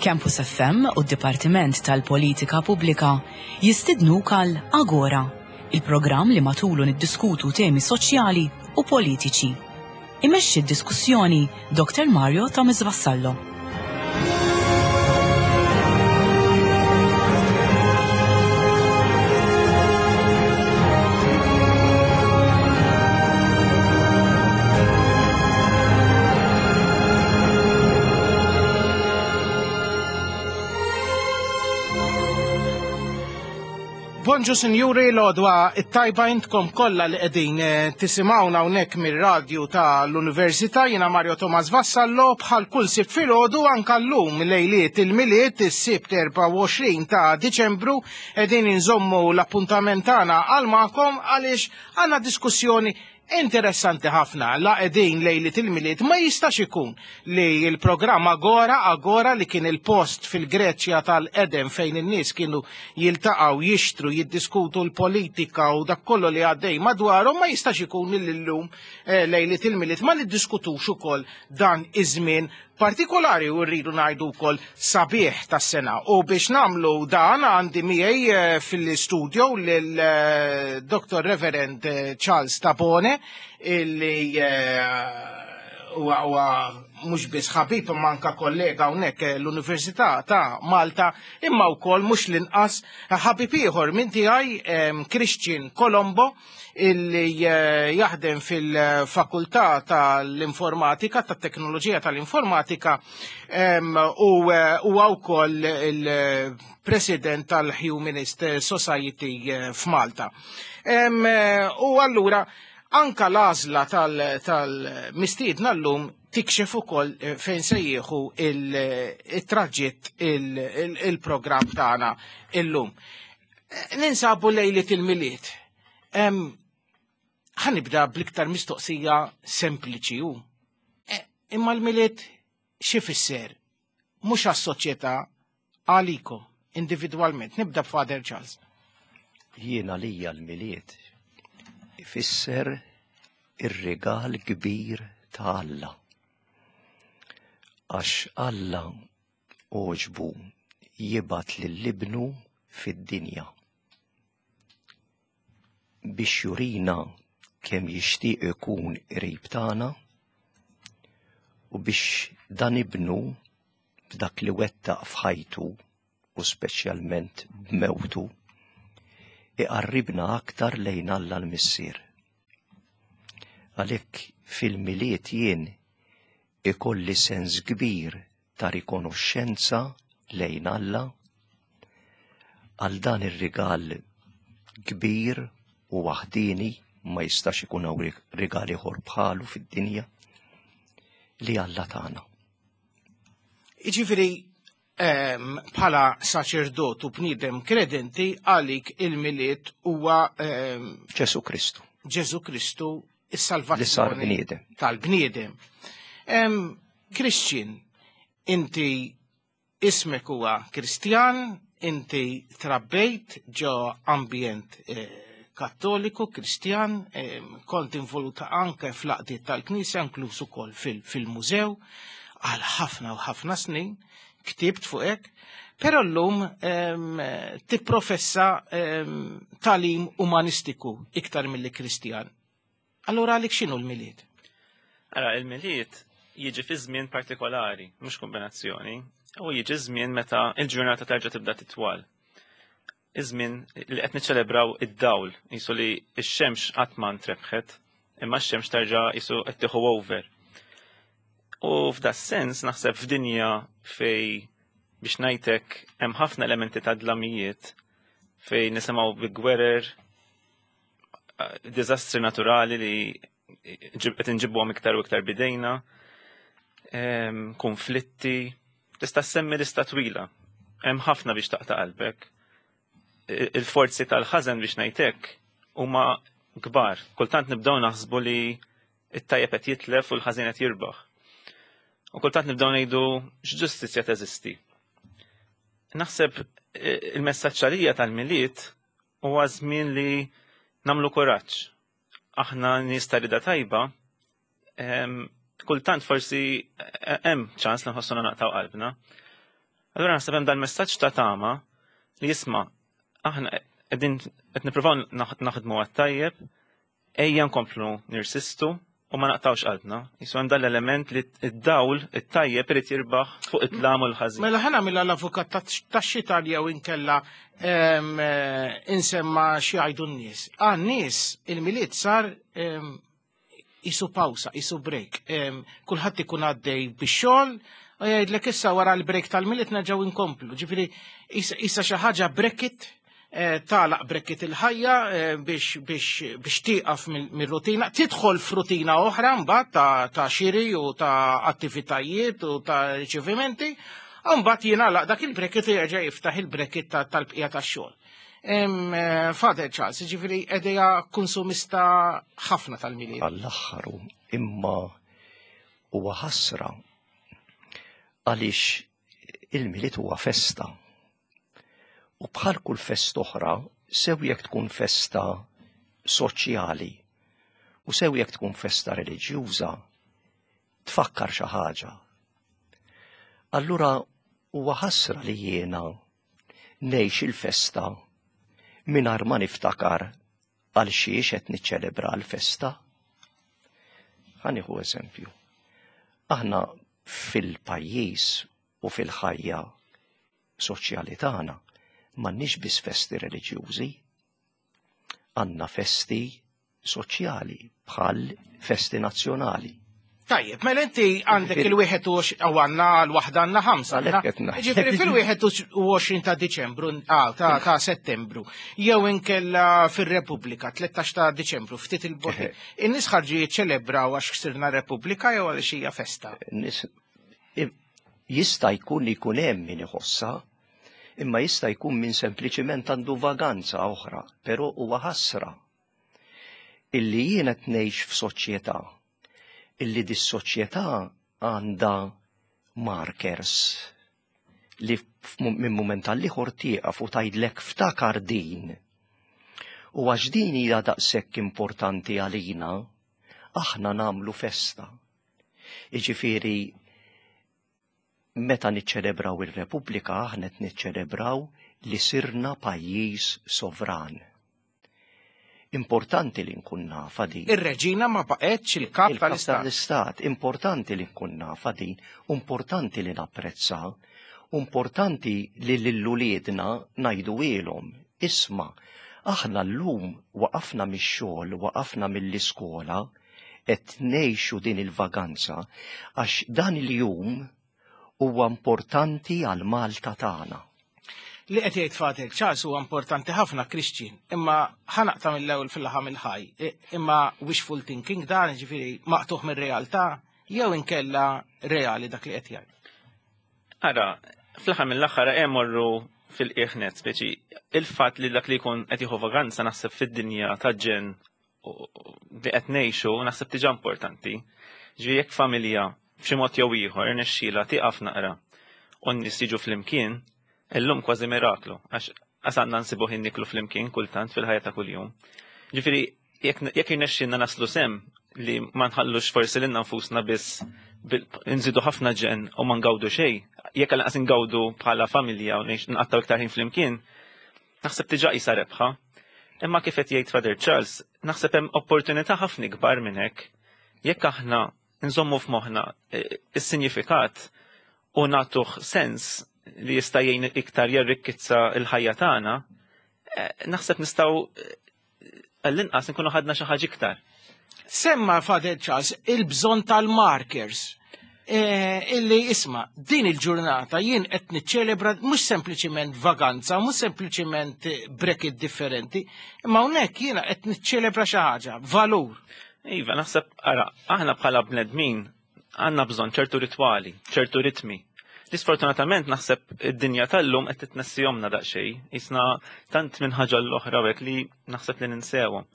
Campus FM u d-Dipartiment tal-Politika Pubblika jistidnuk għal Agora, il-programm li matulu niddiskutu temi soċjali u politiċi. Imexxi d-diskussjoni Dr. Mario Thomas Vassallo. Bonġu sinjuri l-odwa it-tajba intkom kollha li qegħdin eh, tisimgħuna hawnhekk mir-radju tal-Università jiena Mario Thomas Vassallo bħal kull sibt filgħodu anke llum lejliet il-Milied is-Sibt 24 ta' Diċembru qegħdin inżommu l-appuntament tagħna għal magħkom għaliex għandna diskussjoni Interessanti ħafna, la qegħdin lejliet il-Milied ma jistax ikun li l-programm Agora Agora li kien il-post fil-Greċja tal-qedem fejn in-nies kienu jiltaqgħu jixtru, jiddiskutu l-politika u dak kollu li għaddej madwarhom ma jistax ikun li llum eh, lejliet il-Milied ma niddiskutux ukoll dan iż-żmien partikolari u rridu ngħidu wkoll sabiħ tas-sena. U biex nagħmlu dan għandi miegħi eh, fil-studio lil eh, Dr. Reverend eh, Charles Tabone illi huwa mhux biss ħabib imma anka kollega hawnhekk l-Università ta' Malta imma wkoll mhux l-inqas ħabib ieħor minn tiegħi Christian Colombo illi eh, jaħdem fil-fakultà tal-informatika, tat-teknoloġija tal-informatika u eh, huwa wkoll il-president tal-Humanist Society eh, f'Malta. U allura anka l-għażla tal-mistiedna llum tikxef ukoll fejn se jieħu il-traġitt il-programm tagħna illum. Ninsabu lejliet il-Milied. Ħanibda bl-iktar mistoqsija sempliċi u. E, imma l-Milied xi fisser? Mhux għas-soċjetà għalikom individwalment. Nibda b'Father Charles. Jiena lija l-Milied ifisser ir-rigal kbir ta' Alla. Għax Alla għoġbu jibgħat lil Ibnu fid-dinja biex jurina kemm jixtieq ikun qrib tagħna u biex dan ibnu b'dak li wettaq f'ħajtu u speċjalment b'mewtu iqarribna aktar lejn Alla l-Missier. Għalhekk fil-Milied jien ikolli sens kbir ta' rikonoxxenza lejn Alla għal dan ir-rigal kbir u waħdieni ma jistax ikun hawn rigal ieħor bħalu fid-dinja li Alla tagħna. Jiġifieri ehm, bħala saċerdot u bniedem kredenti għalik il-miliet huwa ehm, Ġesu Kristu. Ġesu Kristu is-salvazzjoni tal-bniedem. Christian, inti ismek huwa Kristjan, inti trabbejt ġo ambjent eh, kattoliku, Kristjan, kont involuta anke fl-aqdiet tal-Knisja, inkluż ukoll fil-mużew, għal ħafna u ħafna snin, ktibt fuq hekk, però llum tipprofessa talim umanistiku iktar milli Kristjan. Allura għalik x'inhu l-Milied? Ara, il-Milied jiġi fi żmien partikolari, mhux kombinazzjoni, u jiġi żmien meta il-ġurnata terġa' tibda titwal. Iż-żmien li qed niċċelebraw id-dawl, jisu li x-xemx qatt ma ntrebħet, imma x-xemx terġa' jisu qed tieħu over. U f'da sens naħseb f'dinja fej biex ngħidlek hemm ħafna elementi ta' dlamijiet fej nisimgħu bi gwerer, diżastri naturali li qed inġibuhom iktar u iktar bidejna, konflitti, tista' semmi lista twila. Hemm ħafna biex taqta' qalbek. Il-forzi tal-ħażen biex ngħidlek huma kbar. Kultant nibdew naħsbu li it-tajjeb qed jitlef u l-ħażin qed jirbaħ. U kultant nibdew ngħidu x'ġustizzja teżisti. Naħseb il-messaġġ għalija tal-Milied huwa żmien li nagħmlu kuraġġ. Aħna nies ta' rida tajba, kultant forsi hemm ċans li nħossuna naqtaw qalbna. Allura naħseb hemm dal-messaġġ ta' tama li jisma' aħna qegħdin qed nippruvaw naħdmu għat-tajjeb, ejja nkomplu nirsistu u ma naqtawx qalbna. Jisu hemm dal-element li d-dawl it-tajjeb irid jirbaħ fuq id-dlam u l-ħażin. Mela ħa nagħmilha l-avukat tax-xitan jew inkella insemma xi jgħidu n-nies. Għan-nies il-Milied sar isu pawsa, isu break. Kulħadd ikun għaddej bix-xogħol u jgħidlek issa wara l-break tal-Milied nerġgħu inkomplu. Ġifieri isa xi ħaġa bracket tagħlaq bracket il-ħajja biex biex biex tieqaf mir-rutina, tidħol f'rutina oħra mbagħad ta' xiri u ta' attivitajiet u ta' riċevimenti, u mbagħad jingħalaq dak il-bracket u jerġa' jiftaħ il-bracket tal-bqija tax-xogħol. Father Charles, ġifieri idea konsumista ħafna tal-Milied. Għall-aħħar imma huwa ħasra għaliex il-Milied huwa festa. U bħal kull festa oħra, sew jekk tkun festa soċjali u sew jekk tkun festa reliġjuża, tfakkar xi ħaġa. Allura huwa ħasra li jiena ngħix il-festa mingħajr ma niftakar għal xiex qed niċċelebra l-festa. Ħa nieħu eżempju. Aħna fil-pajjiż u fil-ħajja soċjali tagħna m'għandniex biss festi reliġjużi, għandna festi soċjali bħal festi nazzjonali. Tajjeb, mela inti għandek il-21 u għandna l-waħda għandna ħamsa. Għalhekk qed ngħid. Ġifieri fil-21 ta' Diċembru, ta' Settembru, jew inkella fir-Repubblika, 13 ta' Diċembru, ftit il-bogħod. In-nies ħarġu jiċċelebraw għax sirna Repubblika jew għaliex hija festa. Nies jista' jkun li jkun hemm min iħossha, imma jista' jkun min sempliċiment għandu vaganza oħra, però huwa ħasra illi jiena qed ngħix f'soċjetà illi dis-soċjetà għandha markers li minn mument għal ieħor tieqaf u tgħidlek ftakar din. U għax din hija daqshekk importanti għalina, aħna nagħmlu festa. Jiġifieri meta niċċelebraw ir-Repubblika aħna qed niċċelebraw li sirna pajjiż sovran. Importanti li nkun nafa din. Ir-reġina ma baqgħetx il-kap Il-kap tal-istat. tal-istat. Importanti li nkun nafa din, importanti li napprezza, importanti li lil uliedna ngħidu ilhom. Isma', aħna llum waqafna mix-xogħol, waqafna mill-iskola, qed ngħixu din il-vaganza għax dan il-jum huwa importanti għal Malta tagħna. Li qed jgħid Father Charles huwa importanti ħafna Christian, imma ħa naqta' mill-ewwel fil-laħam il-ħaj, imma wishful thinking dan ġifieri maqtuħ mir-realtà jew inkella reali dak li qed jgħid. Ara, fl-aħħar mill-aħħar hemm morru fil-qiegħ speċi il-fatt li dak li jkun qed jieħu vaganza naħseb fid-dinja ta' ġen li qed ngħixu naħseb diġà importanti. Ġifieri jekk familja b'xi mod jew ieħor irnexxielha tieqaf naqra u n-nies jiġu flimkien, illum kważi miraklu għax għasanna nsibu ħin niklu flimkien kultant fil-ħajja ta' kuljum. Ġifieri jekk irnexxielna naslu s'hemm li ma nħallux forsi lilna nfusna biss nżidu ħafna ġen u ma ngawdu xejn, jekk għal ngawdu bħala familja u nqattaw iktar ħin flimkien, naħseb diġà qisha rebħa. Imma kif qed jgħid Father Charles, naħseb hemm opportunità ħafna ikbar minn hekk. Jekk aħna nżommu f'moħħna is-sinjifikat u nagħtuh sens li jista' jgħin iktar jarrikkizza l-ħajja tagħna, naħseb nistgħu għall-inqas nkunu ħadna xi ħaġa iktar. Semma Father Charles il-bżonn tal-markers. Illi isma' din il-ġurnata jien qed niċċelebra mhux sempliċiment vaganza, mhux sempliċiment bracket differenti, imma hawnhekk jiena qed niċċelebra xi ħaġa, valur. Iva, naħseb, ara, aħna bħala bnedmin għandna bżonn ċertu ritwali, ċertu ritmi. Li sfortunatament naħseb id-dinja tal-lum qed titnessihomna daqsxejn, jisna tant minn ħaġa l-oħra hekk li naħseb li ninsewhom.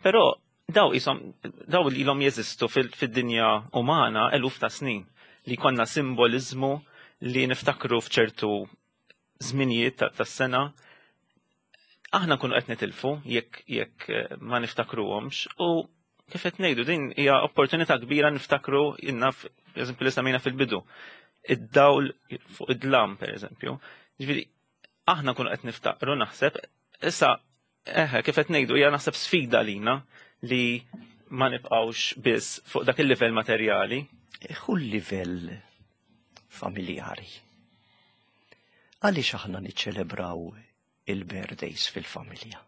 Però daw isom daw li ilhom jeżistu fid-dinja umana eluf ta' snin li konna simbolizmu li niftakru f'ċertu żminijiet tas-sena aħna nkunu qed nitilfu jekk jekk eh, ma niftakruhomx u kif qed ngħidu din hija opportunità kbira niftakru inna eżempju li semmejna fil-bidu. Id-dawl fuq id-dlam pereżempju. Ġifieri aħna nkunu qed niftakru naħseb issa eħe kif qed ngħidu hija naħseb sfida lina li ma nibqgħux biss fuq dak il-livell materjali. Hu l-livell familjari. Għaliex aħna niċċelebraw il-birthdays fil-familja?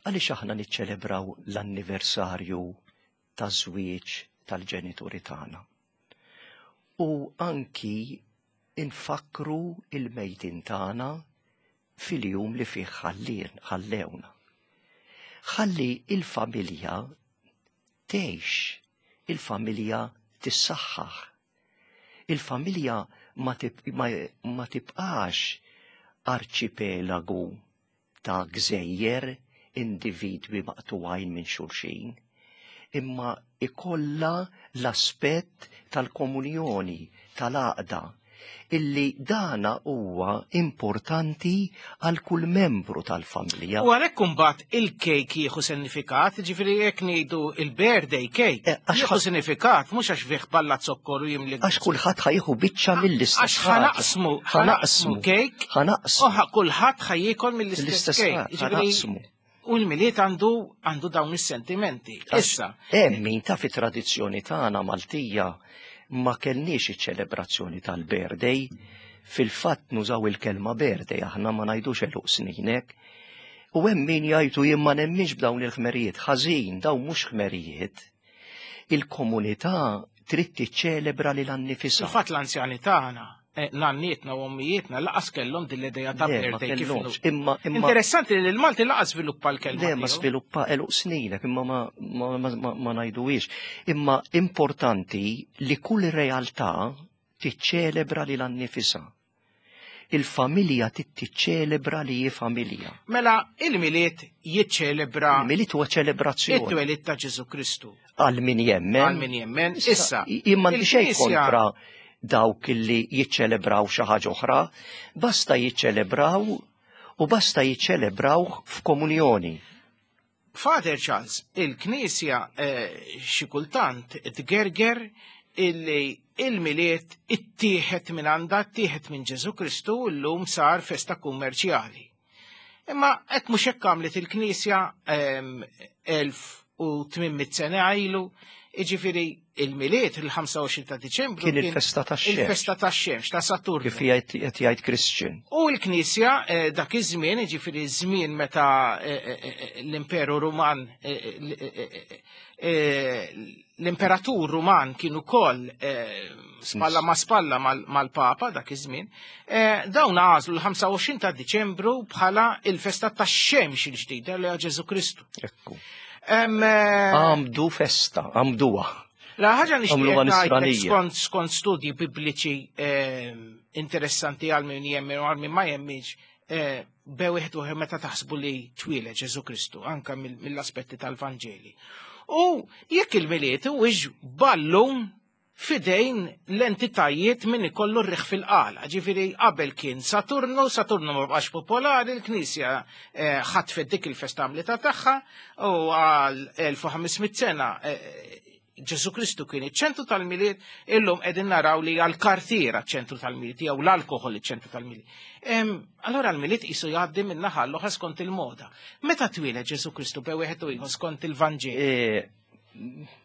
Għaliex aħna niċċelebraw l-anniversarju ta' żwieġ tal-ġenituri tagħna? U anki infakru il-mejtin tagħna fil-jum li fih ħallien ħallewna. Ħalli il-familja tgħix, il-familja tissaħħaħ. Il-familja ma, ma, ma tibqax arċipelagu ta' gżejjer individwi maqtugħin minn xulxin, imma ikollha l-aspett tal-komunjoni, tal-għaqda, illi dana huwa importanti għal kull membru tal-familja. U għalhekk imbagħad il-kejk jieħu sinifikat, ġifieri jekk ngħidu il-birthday cake, eh, jieħu sinifikat mhux għax fih balla zokkor u jimli. Għax kulħadd ħajħu biċċa mill-istess. Għax ħanaqsmu, ħanaqsmu kejk, ħanaqsmu. U kulħadd ħajjiekol mill-istess kejk. Ħanaqsmu. U l-Milied għandu għandu dawn is-sentimenti. Issa. Hemm min ta' fit-tradizzjoni tagħna Maltija ma kellniex iċ-ċelebrazzjoni tal-birthday. Fil-fatt nużaw il-kelma birthday aħna ma ngħidux għeluq sninek. U hemm min jgħidu jien ma nemminx b'dawn il-ħmerijiet. Ħażin, dawn mhux ħmerijiet. Il-komunità trid tiċċelebra lilha nnifisha. Fil-fatt l-anzjani tagħna Eh, nannietna u ommijietna laqas kellhom din l-idea ta' birthday kif Imma Interessanti li l-Malti laqas sviluppa l-kelma. Le ma sviluppa eluq sninek imma ma ma ngħiduhiex. Imma importanti li kull realtà tiċċelebra lil annifisha. Il-familja tiċċelebra li hi familja. Mela il-Milied jiċċelebra. Il-Milied huwa ċelebrazzjoni. It-twelid ta' Ġesu Kristu. Għal min jemmen. Għal min jemmen. Issa. Imma xejn kontra dawk li jiċċelebraw xi ħaġa oħra, basta jiċċelebraw u basta jiċċelebraw f'komunjoni. Father Charles, il-Knisja eh, xi kultant tgerger illi il-Milied ittieħed minn għandha, ittieħed minn Ġesu Kristu u llum sar festa kummerċjali. Imma hekk mhux hekk għamlet il-Knisja 1800 sena ilu, jiġifieri il-Milied il-25 ta' Diċembru kien il-festa tax-xemx. Il-festa tax-xemx ta' Saturnu. Kif qed jgħid Christian. U l-Knisja eh, dak iż-żmien, jiġifieri żmien meta eh, eh, l-Imperu Ruman l-imperatur Ruman kien ukoll eh, spalla ma spalla mal-Papa dak iż-żmien, eh, dawn għażlu l-25 ta' Diċembru bħala il-festa tax-xemx il-ġdida li Ġesu Kristu. Ekku. Eh, għamdu festa, għamduha. La ħaġa nixtieq skont skont studji bibliċi interessanti għal min jemmen u għal min ma jemminx bew wieħed u meta taħsbu li twieled Ġesu Kristu anka mill-aspetti tal-Vanġeli. U jekk il-Milied huwiex ballun fidejn l-entitajiet min ikollu r-riħ fil-qala. Ġifieri qabel kien Saturnu, Saturnu ma bqax popolari, l-Knisja eh, ħatfet dik il-festa għamlita tagħha u għal 1500 sena eh, Ġesu Kristu kien iċ-ċentru tal-Milied, illum qegħdin naraw li għall-kartiera ċentru tal-Milied jew l-alkoħol iċ-ċentru tal-Milied. Allora l-Milied qisu jgħaddi minn naħa l-oħra skont il-moda. Meta twieled Ġesu Kristu bej wieħed u ieħor skont il-Vanġelu? E,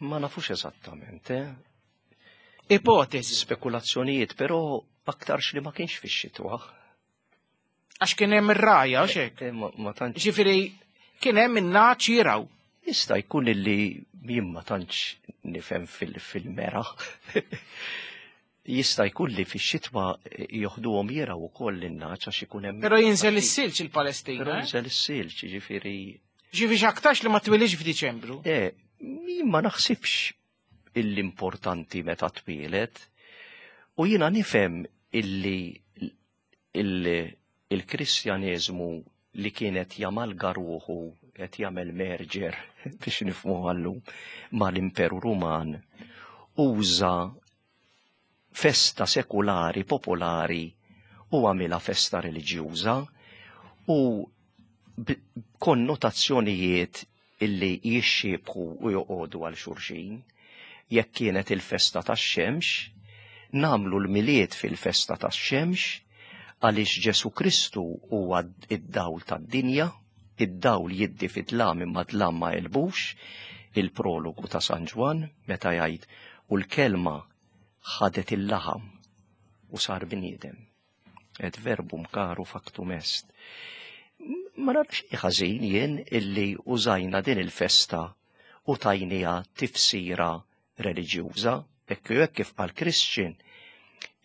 ma nafux eżattament, eh? Ipotezi. Spekulazzjonijiet, però aktarx li ma kienx fix-xitwa. Għax kien hemm ir-raja, u xek. Eh, ma tantx. Ġifieri kien hemm in-naċ jiraw. Jista' jkun illi jien ma tantx nifhem fil-mera. Jista' jkun li fix-xitwa joħduhom jiraw ukoll in-naċ għax ikun hemm. Però jinżel is-silġ il-Palestina. Però eh? jinżel is-silġ, jiġifieri. Ġifieri x'aktarx li ma twilix f'Diċembru. Eh, jien ma naħsibx l-importanti meta twieled. U jiena nifhem illi il-Kristjaneżmu li kienet jamalga ruħu qed jagħmel merger biex nifhmu għallum mal-Imperu Ruman uża festa sekulari popolari u għamilha festa reliġjuża u konnotazzjonijiet illi jixxiebħu u joqogħdu għal xulxin. Jekk kienet il-festa tax-xemx, nagħmlu l-Milied fil-festa tax-xemx għaliex Ġesù Kristu huwa id-dawl tad-dinja, id-dawl jiddi fid-dlam imma dlam ma għelbux, il-prologu ta' San Ġwann meta jgħid u l-kelma ħadet il-laħam u sar bniedem. Et verbum caru factum est. Ma nara xejn ħażin jien illi użajna din il-festa u tajniha tifsira reliġjuża. Hekk hekk kif qal Christian,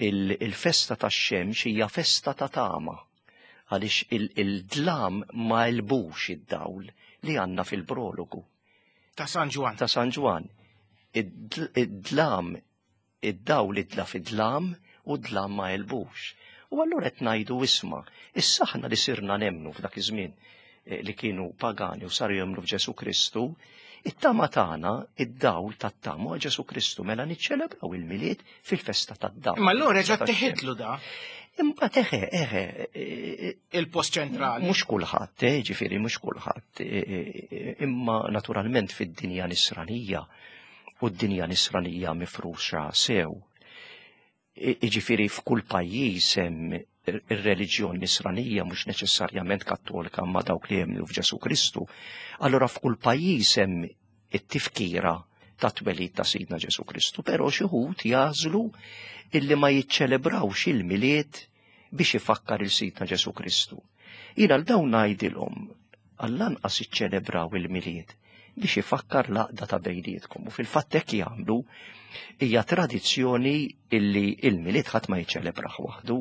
il-festa tax-xemx hija festa ta' tama għaliex il-dlam ma għelbux id-dawl li għandna fil-prologu. Ta' San Ġwann. Ta' San Ġwann. Id-dlam, id-dawl idla fid-dlam u d-dlam ma għelbux. U allura qed ngħidu isma', issa aħna li sirna nemmnu f'dak iż-żmien eh, li kienu pagani u saru jemmnu f'Ġesu Kristu, it-tama tagħna, id-dawl tat-tama huwa Ġesu Kristu, mela niċċelebraw il-Milied fil-festa tad-dawl. Imma allura reġa' teħidlu da. Imbagħad eħe, eħe. Eh, eh, Il-post ċentrali. Mhux kulħadd, eh, ġifieri mhux kulħadd. Imma naturalment fid-dinja nisranija u d-dinja nisranija mifruxa sew. Jiġifieri f'kull pajjiż hemm ir-reliġjon nisranija mhux neċessarjament kattolika ma dawk li jemmnu f'Ġesu Kristu. Allura f'kull pajjiż hemm it-tifkira ta' twelid ta' Sidna Ġesu Kristu, però xi wħud jagħżlu illi ma jiċċelebrawx il-Milied biex ifakkar il Sidna Ġesu Kristu. Jiena l dawn ngħidilhom għall-anqas iċċelebraw il-Milied biex ifakkar l-għaqda ta' bejnietkom. U fil-fatt hekk jagħmlu hija tradizzjoni illi il-Milied ħadd ma jiċċelebrah waħdu.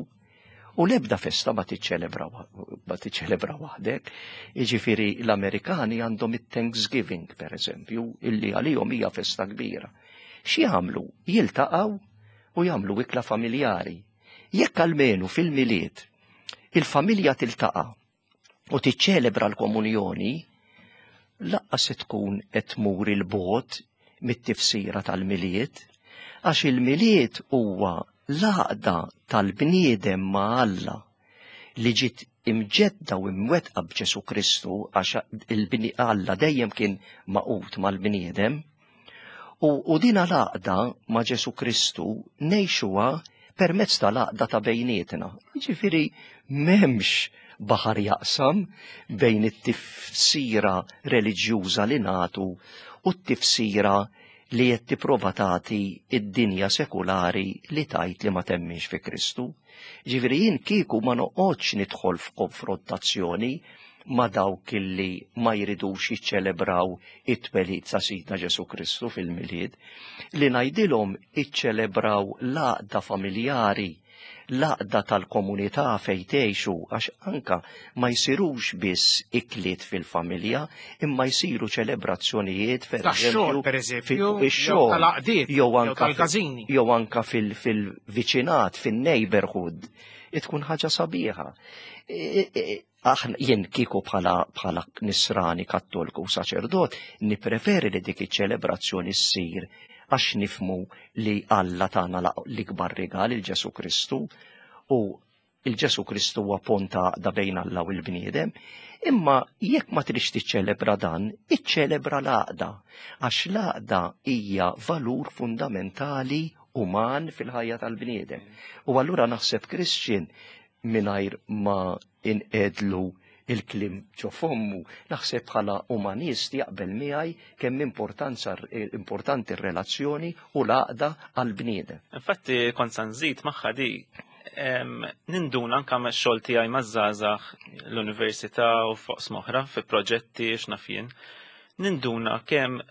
U l-ebda festa ma tiċċelebra ma tiċċelebra waħdek. Jiġifieri l-Amerikani għandhom it-Thanksgiving pereżempju, illi għalihom hija festa kbira. X'jagħmlu? Jiltaqgħu u jagħmlu ikla familjari. Jekk almenu fil-Milied il-familja tiltaqa' u tiċċelebra l-komunjoni, laqqas se tkun qed tmur il-bogħod mit-tifsira tal-Milied, għax il-Milied huwa l-għaqda tal-bniedem ma' Alla li ġiet imġedda u imwettqa b'Ġesu Kristu għax Alla dejjem kien magħqud mal-bniedem. U, u dina l-għaqda ma' Ġesu Kristu ngħixuha permezz tal-għaqda ta' bejnietna. Jiġifieri m'hemmx baħar jaqsam bejn it-tifsira reliġjuża li nagħtu u t-tifsira li qed tipprova tagħti id-dinja sekulari li tgħid li ma temminx fi Kristu. Ġifieri jien kieku ma noqgħodx nidħol f'konfrontazzjoni ma' dawk illi ma jridux jiċċelebraw it-twelid ta' Sidna Ġesu Kristu fil-Milied, li ngħidilhom iċċelebraw l-għaqda familjari, l-għaqda tal-komunità fejn tgħixu għax anka ma jsirux biss ikliet fil-familja, imma jsiru ċelebrazzjonijiet per eżempju pereżempju, ix-xogħol jew anka jew anka fil-viċinat, fin-neighborhood, tkun ħaġa sabiħa. Aħna jien kieku bħala bħala nisrani kattoliku u saċerdot nippreferi li dik iċ-ċelebrazzjoni ssir għax nifmu li Alla tagħna l-ikbar rigal il Ġesu Kristu u il-Ġesu Kristu huwa pont ta' għaqda bejn Alla u l-bniedem. Imma jekk ma tridx tiċċelebra dan, iċċelebra l-għaqda għax l-għaqda hija valur fundamentali uman fil-ħajja tal-bniedem. U allura naħseb Christian mingħajr ma inqegħdlu il-kliem ġo fommu, naħseb bħala umanist jaqbel miegħi kemm importanza importanti r-relazzjoni u l-għaqda għall-bniedem. Infatti kont sa nżid magħha di ninduna anka xogħol tiegħi maż-żgħażagħ l-università u fuq oħra fi proġetti x'naf jien. Ninduna kemm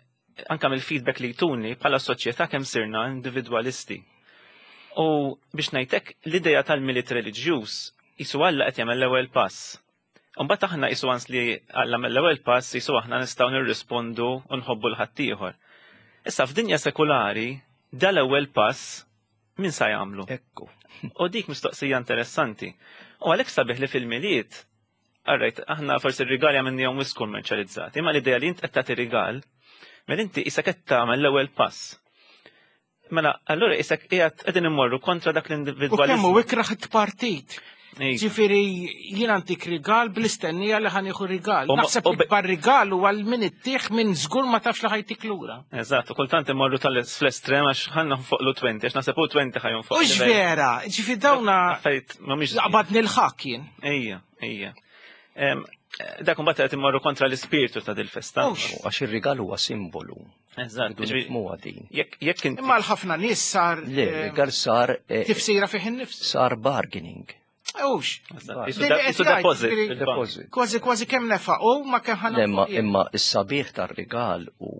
anka mill-feedback li jtuni bħala soċjetà kemm sirna individwalisti. U biex ngħidlek l-idea tal-Milied reliġjuż jisu Alla qed jagħmel l-ewwel pass. Imbagħad aħna jisu għans li Alla mill-ewwel pass jisu aħna nistgħu nirrispondu u nħobbu l-ħaddieħor. Issa f'dinja sekulari dal-ewwel pass min sa jagħmlu? Ekku. U dik mistoqsija interessanti. U għalhekk sabiħ li fil-Milied, alright, aħna forsi r-rigali għamilnihom wisq kummerċjalizzati, imma l-idea li int qed tagħti rigal, mela inti isek qed tagħmel l-ewwel pass. Mela, allura isek qiegħed qegħdin immorru kontra dak l-individwaliżmu. U kemm hu ikraħ it-partit. Ġifieri jien antik rigal bl-istennija li ħanieħu rigal. Naħseb ikbar rigal huwa l min ittieħ minn żgur ma tafx li ħajtik lura. Eżatt, u kultant imorru tal-estrem għax ħanna fuq lu 20, għax naħseb u 20 ħajun fuq. Ux vera, ġifieri dawna. Affarijiet mhumiex. Laqbad nil-ħak jien. Ejja, ejja. Dak imbagħad qed immorru kontra l-ispirtu ta' dil-festa. Għax ir-rigal huwa simbolu. Eżatt, nifhmuha din. Jekk inti. Imma l-ħafna nies sar. Le, rigal sar. Eh, tifsira fih innifs. Sar bargaining. Ux. Isu deposit. Deposit. Kważi kważi kemm nefaq u ma kemm ħana. Imma imma s-sabiħ tar-rigal u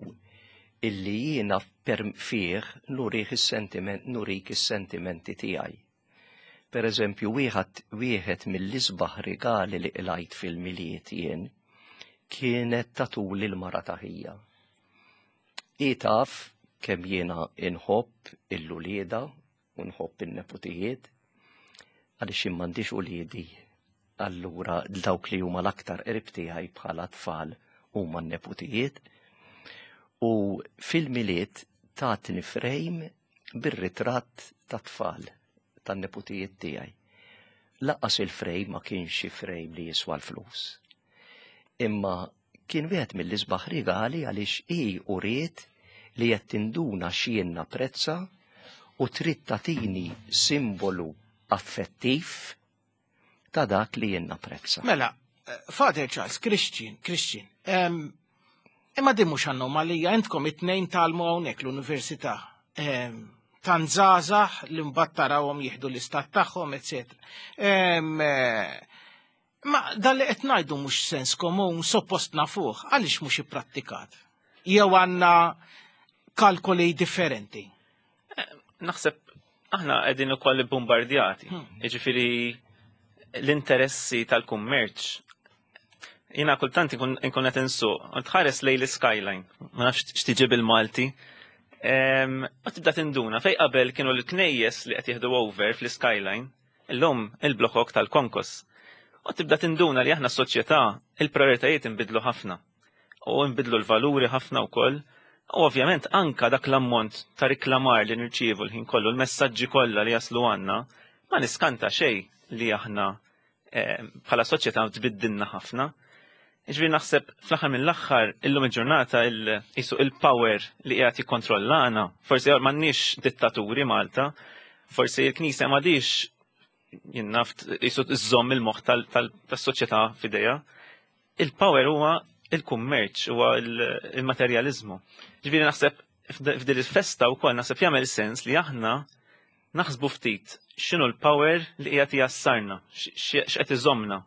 illi jiena fih nurih is-sentiment nurik is-sentimenti tiegħi. Per eżempju, wieħed wieħed mill-isbaħ rigali li qlajt fil-Milied jien kienet tatuli l-mara ta' ħija. Hi taf kemm jiena inħobb il-ulieda u nħobb in-neputijiet, għaliex jien m'għandix uliedi, allura dawk li huma l-aktar qrib tiegħi bħala tfal huma n-neputijiet. U fil-Milied tatni frame bir-ritratt tat-tfal tan-neputijiet tiegħi. Lanqas il-frame ma kienx xi frame li jiswa l-flus. Imma kien wieħed mill-isbaħ rigali għaliex hi uriet li qed tinduna x'jien napprezza u trid tagħtini simbolu affettiv ta' dak li jien napprezza. Mela, Father Charles, Christian, Christian, imma din mhux anomalija, intkom it-tnejn talmu hawnhekk l-università. Tant żgħażagħ li mbagħad tarawhom jieħdu l-istat tagħhom, eċetera. Ma dan li qed ngħidu mhux sens komun, suppost nafuh, għaliex mhux ipprattikat? Jew għandna kalkoli differenti? Naħseb aħna qegħdin ukoll bombardjati. Jiġifieri l-interessi tal-kummerċ. Jiena kultant inkun qed insuq, u tħares lejn l-skyline, ma nafx x'tiġi bil-Malti. U tibda tinduna fej qabel kienu l-knejjes li qed jieħdu over fl-skyline, illum il-blokok tal-konkos. U tibda tinduna li aħna soċjetà il-prioritajiet inbidlu ħafna. U nbidlu l-valuri ħafna wkoll. U ovvjament anka dak l-ammont ta' riklamar li nirċievu l-ħin kollu, l-messaġġi kollha li jaslu għandna, ma niskanta xejn li aħna eh, bħala soċjetà tbiddilna ħafna. Ġifieri naħseb fl-aħħar mill-aħħar illum il-ġurnata jisu il-power li qiegħed jikkontrollana, forsi m'għandniex dittaturi Malta, forsi l-Knisja m'għadix jinnaft jisu iżżomm il-moħħ tas-soċjetà f'idejha. Il-power huwa il-kummerċ, huwa il-materjaliżmu. Ġifieri naħseb f'din il-festa wkoll naħseb jagħmel sens li aħna naħsbu ftit x'inhu l-power li qiegħed jassarna, x'qed iżommna.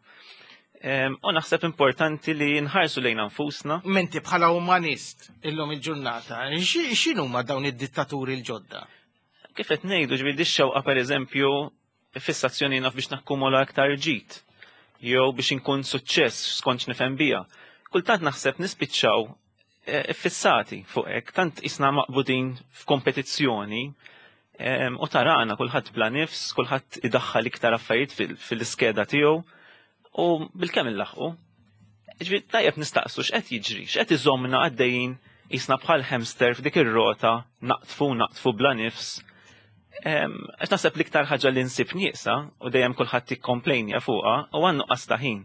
U naħseb importanti li nħarsu lejn nfusna. Menti bħala umanist illum il-ġurnata, x'inhuma dawn id-dittaturi l-ġodda? Kif qed ngħidu ġifieri dix-xewqa pereżempju fissazzjoni naf biex nakkumula aktar ġid jew biex inkun suċċess skont x'nifhem bija. Kultant naħseb nispiċċaw eh, fissati fuq hekk, tant isna maqbudin f'kompetizzjoni u tarana kulħadd bla nifs, kulħadd idaħħal iktar affarijiet fil-iskeda tiegħu u bil-kemm illaħqu. Ġifieri tajjeb nistaqsu x'qed jiġri, x'qed iżommna għaddejjin jisna bħal hamster f'dik ir-rota naqtfu naqtfu bla nifs. Għax naħseb l-iktar ħaġa li nsib nieqsa u dejjem kulħadd jikkomplejnja fuqha u għan nuqqas ta' ħin.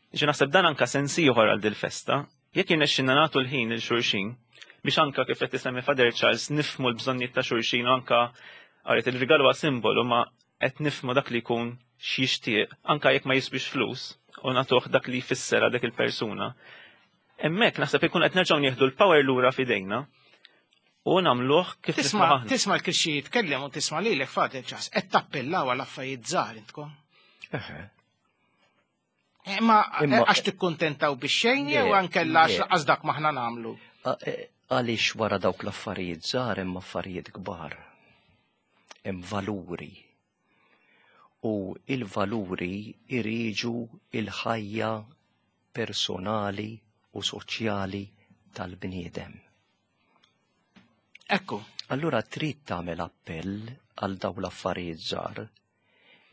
Ġi naħseb dan anka sens ieħor għal dil-festa, jekk jirnexxinna nagħtu l-ħin lil xulxin biex anka kif qed isemmi Father Charles nifhmu l-bżonnijiet ta' xulxin u anka għaret il-rigal huwa simbolu ma qed nifhmu dak li jkun x'jixtieq anka jekk ma jisbix flus u nagħtuh dak li jfisser għal dik il-persuna. Hemmhekk naħseb ikun qed nerġgħu nieħdu l-power lura f'idejna u nagħmluh kif Tisma' tisma' l-Krixxi jitkellem u tisma' lilek Father Charles qed tappellaw għal affarijiet żgħar intkom. Eħe. Imma għax tikkuntentaw bix-xejn jew ankella għax laqas dak maħna nagħmlu. Għaliex wara dawk l-affarijiet żgħar hemm affarijiet kbar. Hemm valuri. U il-valuri iriġu il-ħajja personali u soċjali tal-bniedem. Ekku. Allura trid tagħmel appell għal dawn l-affarijiet żgħar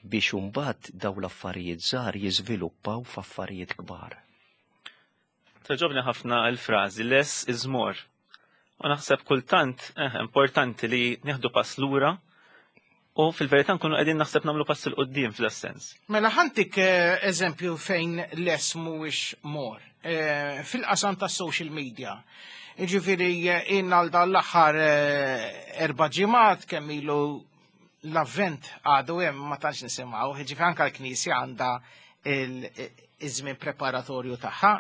biex imbagħad dawn l-affarijiet żgħar jiżviluppaw f'affarijiet kbar. Togħġobni ħafna l-frażi less is more. U naħseb kultant eh, importanti li nieħdu pass lura u fil-verità nkunu qegħdin naħseb nagħmlu pass 'il quddiem fl-sens. Mela ħa ntik eh, eżempju fejn less mhuwiex more. Eh, fil-qasam ta' social media. Ġifieri jien għal dan l-aħħar 4 ġimgħat kemm ilu l-avvent għadu hemm ma tantx nisimgħu, ġifieri anke l-Knisja għandha iż-żmien preparatorju tagħha,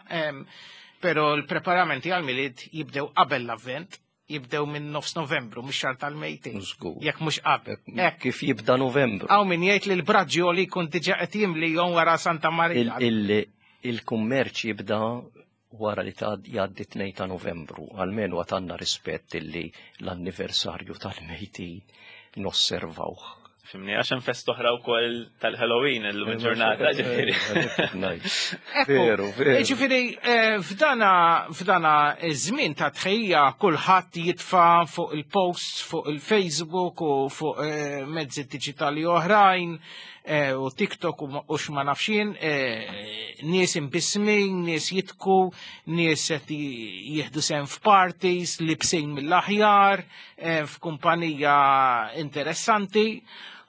però l-preparamenti għal-Milied jibdew qabel l-avvent, jibdew minn nofs Novembru, mhux xahar tal-mejtin. Żgur. Jekk mhux qabel. Hekk. Kif jibda Novembru. Hawn min jgħid li l-braġġjoli jkun diġà qed jimli jom wara Santa Marija. Il-kummerċ jibda wara li ta' jgħaddi 2 ta' Novembru, almenu għandna rispett illi l-anniversarju tal-mejtin nosservawh. Fhimni, għax hemm festa oħra wkoll tal-Halloween illum il-ġurnata, ġifieri. Veru, veru. Ġifieri, f'dana iż-żmien ta' tħejja kulħadd jitfa' fuq il-posts, fuq il-Facebook u fuq mezzi diġitali oħrajn u TikTok u x'ma nafx jien, nies imbismin, nies jidħku, nies qed jieħdu sehem f'parties, libsin mill-aħjar, f'kumpanija interessanti.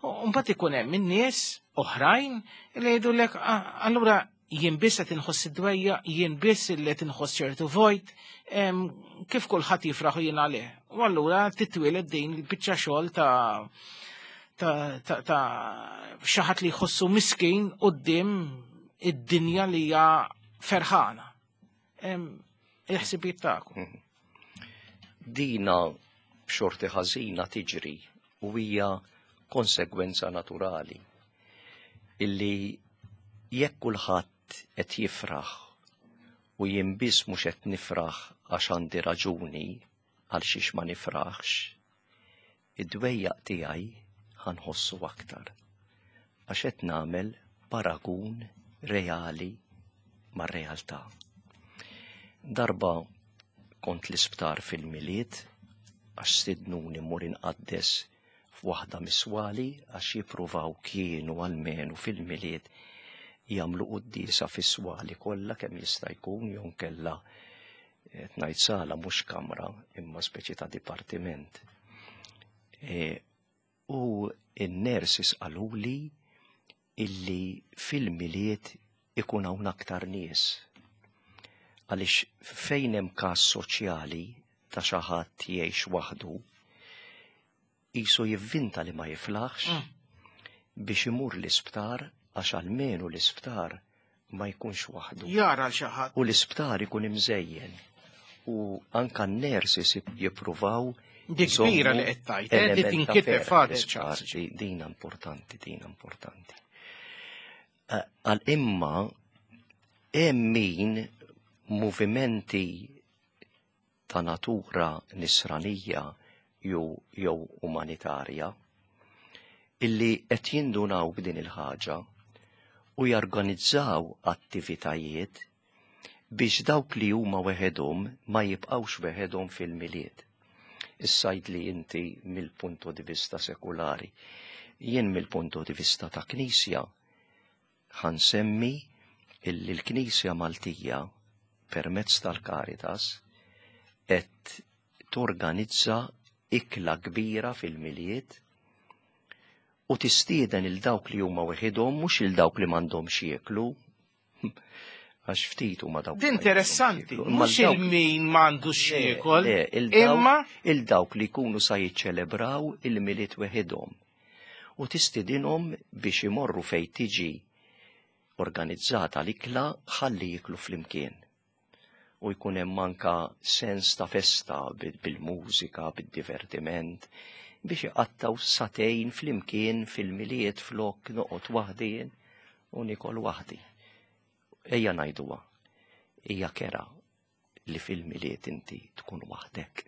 U mbagħad ikun hemm in-nies oħrajn li jgħidulek, "Ah, allura jien biss qed inħoss id-dwejjaq, jien biss li qed inħoss ċertu vojt, kif kulħadd jifraħu jien għalih." U allura titwieled din il-biċċa xogħol ta' xi ħadd li jħossu miskin quddiem id-dinja li hija ferħana. Il-ħsibijiet tagħkom. Dina b'xorti ħażina tiġri u hija konsegwenza naturali illi jekk kulħadd qed jifraħ u jien biss mhux qed nifraħ għax għandi raġuni għal xiex ma nifraħx, id-dwejjaq tiegħi ħa nħossu aktar. Għax qed nagħmel paragun reali mar-realtà. Darba kont l-isptar fil-Milied għax stidnuni mmur inqaddes f'waħda mis-swali għax jippruvaw kienu almenu fil-Milied jagħmlu quddiesa fis-swali kollha kemm jista' jkun jew kella qed ngħid sala mhux kamra imma speċi ta' dipartiment. U n-nurses qaluli illi fil-Milied ikun hawn aktar nies. Għaliex fejn hemm każ soċjali ta' xi ħadd jgħix waħdu, qisu jivvinta li ma jiflaħx biex imur l-isptar għax almenu l-isptar ma jkunx waħdu. Jara l xi ħadd. U l-isptar ikun imżejjen. U anka n-nurses jippruvaw Dik kbira li qed tgħid, li element ta' tinkiteb ferħ Father l-isptar. Charles. Dina importanti, dina importanti. Għal imma hemm min movimenti ta' natura nisranija jew umanitarja illi qed jindunaw b'din il-ħaġa u jorganizzaw attivitajiet biex dawk li huma weħedhom ma jibqgħux weħedhom fil-Milied. Issa li inti mill-punto di vista sekulari, jien mill-punto di vista ta' Knisja ħa nsemmi illi l-Knisja Maltija permezz tal-Caritas qed torganizza ikla kbira fil-Milied u tistieden il dawk li huma weħidhom, mhux il dawk li m'għandhomx jieklu, għax ftit huma dawk. Din interessanti, mhux il-min m'għandux jiekol, imma il-dawk li jkunu sa jiċċelebraw il-Milied weħidhom. U tistidinhom biex imorru fej tiġi organizzata l-ikla ħalli jiklu flimkien. U jkun hemm anka sens ta' festa bil-mużika, bil-divertiment, biex iqattaw sagħtejn flimkien fil-Milied flok noqgħod waħdi u nikol waħdi. Ejja ngħiduha, hija kerha li fil-Milied inti tkun waħdek.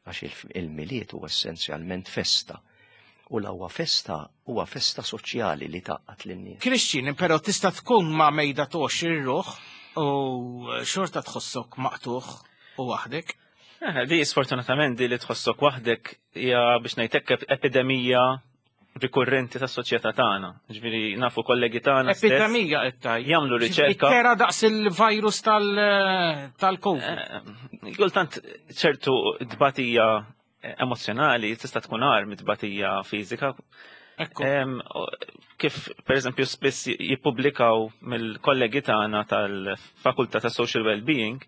Għax il-Milied huwa essenzjalment festa. U la huwa festa, huwa festa soċjali li tgħaqqad lin-nies. Christian, però tista' tkun ma' mejda 20 ruħ u xorta tħossok maqtugħ u waħdek. Eh, di sfortunatament di li tħossok waħdek hija biex ngħidlek epidemija rikurrenti tas-soċjetà tagħna. Ġifieri nafu kollegi tagħna stess Epidemija qed tgħid. jagħmlu riċerka. Tera daqs il-virus tal-Covid. Eh, Kultant ċertu tbatija emozjonali tista' tkun agħar mit-tbatija fiżika. Ekku. Kif per eżempju spiss jippubblikaw mill-kollegi tagħna tal-Fakultà ta' Social Wellbeing,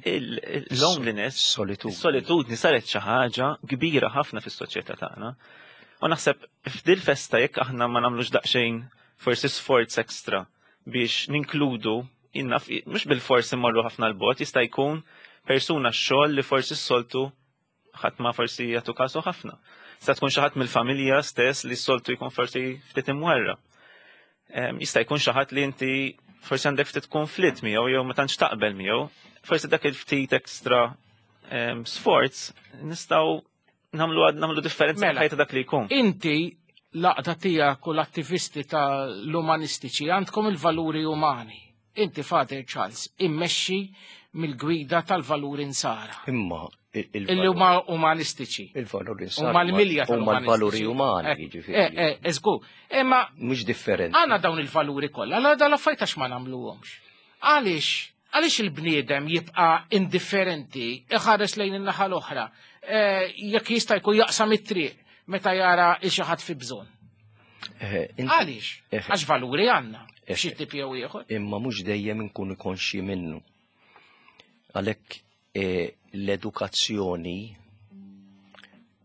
il-loneliness, Solitudni. is-solitudni saret xi ħaġa kbira ħafna fis-soċjetà tagħna. U naħseb f'dil festa jekk aħna ma nagħmlux daqsxejn forsi sforz ekstra biex ninkludu innaf mhux bil-fors immorru ħafna l-bot, jista' jkun persuna x-xogħol li forsi s-soltu ħadd ma forsi jagħtu kasu ħafna. Sa tkun xi ħadd mill-familja stess li s-soltu jkun forsi ftit imwarra. Jista' jkun xi ħadd li inti forsi għandek ftit konflitt miegħu jew ma tantx taqbel miegħu, forsi dak il-ftit ekstra sforz nistgħu nagħmlu differenza Mela. f'ħajta dak li jkun. Inti l-għaqda tiegħek u l-attivisti tal-umanistiċi għandkom il-valuri umani. Inti Father Charles immexxi mill-gwida tal-valuri nsara. Imma Illi huma umanistiċi. il-valuri nsara. Huma l-milja Huma l-valuri tal-umanistiċi. umani, Eh, jiġifieri. Eżgur. Imma Mhux differenti. għandna dawn il-valuri kollha, għala dal affarijiet għax ma nagħmluhomx. Għaliex? Għaliex il-bniedem jibqa' indifferenti, iħares lejn in-naħa l-oħra, jekk jista' jkun jaqsam it-triq meta jara il xi ħadd fi bżonn. Għaliex? Għax valuri għandna, xi tip jew ieħor. Imma mhux dejjem inkunu konxji minnu. Għalhekk l-edukazzjoni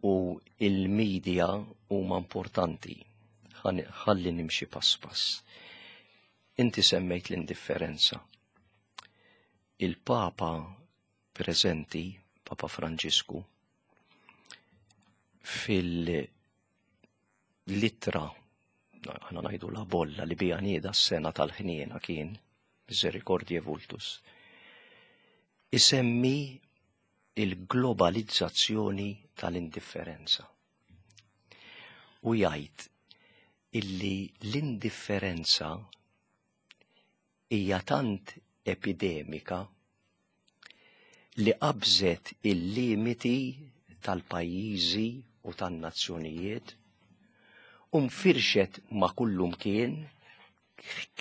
u il-media huma importanti. Ħalli nimxi pass pass. Inti semmejt l-indifferenza. Il-Papa preżenti, Papa Franġisku, fil-litra, aħna ngħidu la bolla li bija nieda s-sena tal-ħniena kien, Misericordiae Vultus, isemmi il-globalizzazzjoni tal-indifferenza. U jgħid illi l-indifferenza hija tant epidemika li qabżet il-limiti tal-pajjiżi u tan-nazzjonijiet u nfirxet ma' kullum kien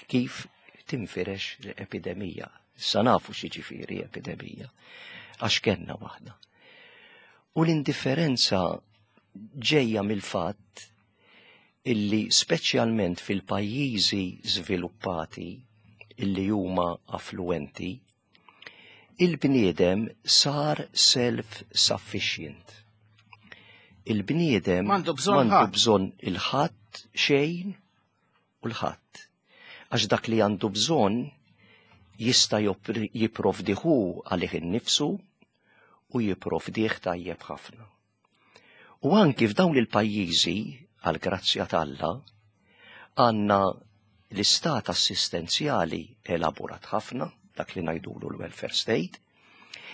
kif tinfirex l-epidemija. Issa nafu x'jiġifieri epidemija, għax kellna waħda. U l-indifferenza ġejja mill-fatt illi speċjalment fil-pajjiżi żviluppati illi huma affluenti, il-bniedem sar self-sufficient. Il-bniedem M'għandu bżonn m'għandu ħadd. bżonn il-ħadd xejn u l-ħadd. Għax dak li għandu bżonn jista' jipprovdihu għalih innifsu u jipprovdih tajjeb ħafna. U anki f'dawn il-pajjiżi, għal grazzja t'Alla, għandna l-istat assistenzjali elaborat ħafna, dak li ngħidulu l-welfare state,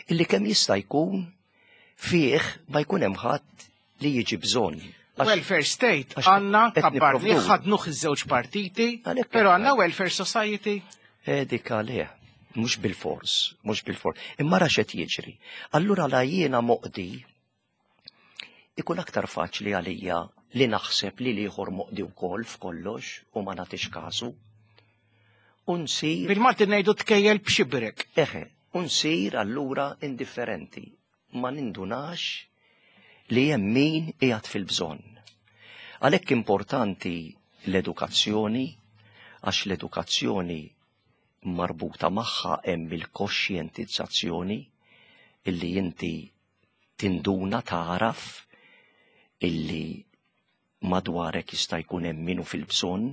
illi kemm jista' jkun fih ma jkun hemm ħadd li jiġi bżonn. Welfare state għax għandna qed kabbarni nipprovdu. ħadnuh iż-żewġ partiti, Għalhekk però qed għandna ngħid. welfare society. Dik għalih, mhux bil-fors, mhux bil-fors. Imma ra x'qed jiġri. Allura la jiena moqdi, ikun aktar faċli għalija li naħseb li l-ieħor moqdi wkoll f'kollox u ma nagħtix kasu. U nsir Bil-Malti ngħidu tkejjel b'xibrek. Eħe, u nsir allura indifferenti. Ma nindunax li hemm min qiegħed fil-bżonn. Għalhekk importanti l-edukazzjoni, għax l-edukazzjoni marbuta magħha hemm il-koxjentizzazzjoni illi inti tinduna taraf illi madwarek jista' jkun hemm min hu fil-bżonn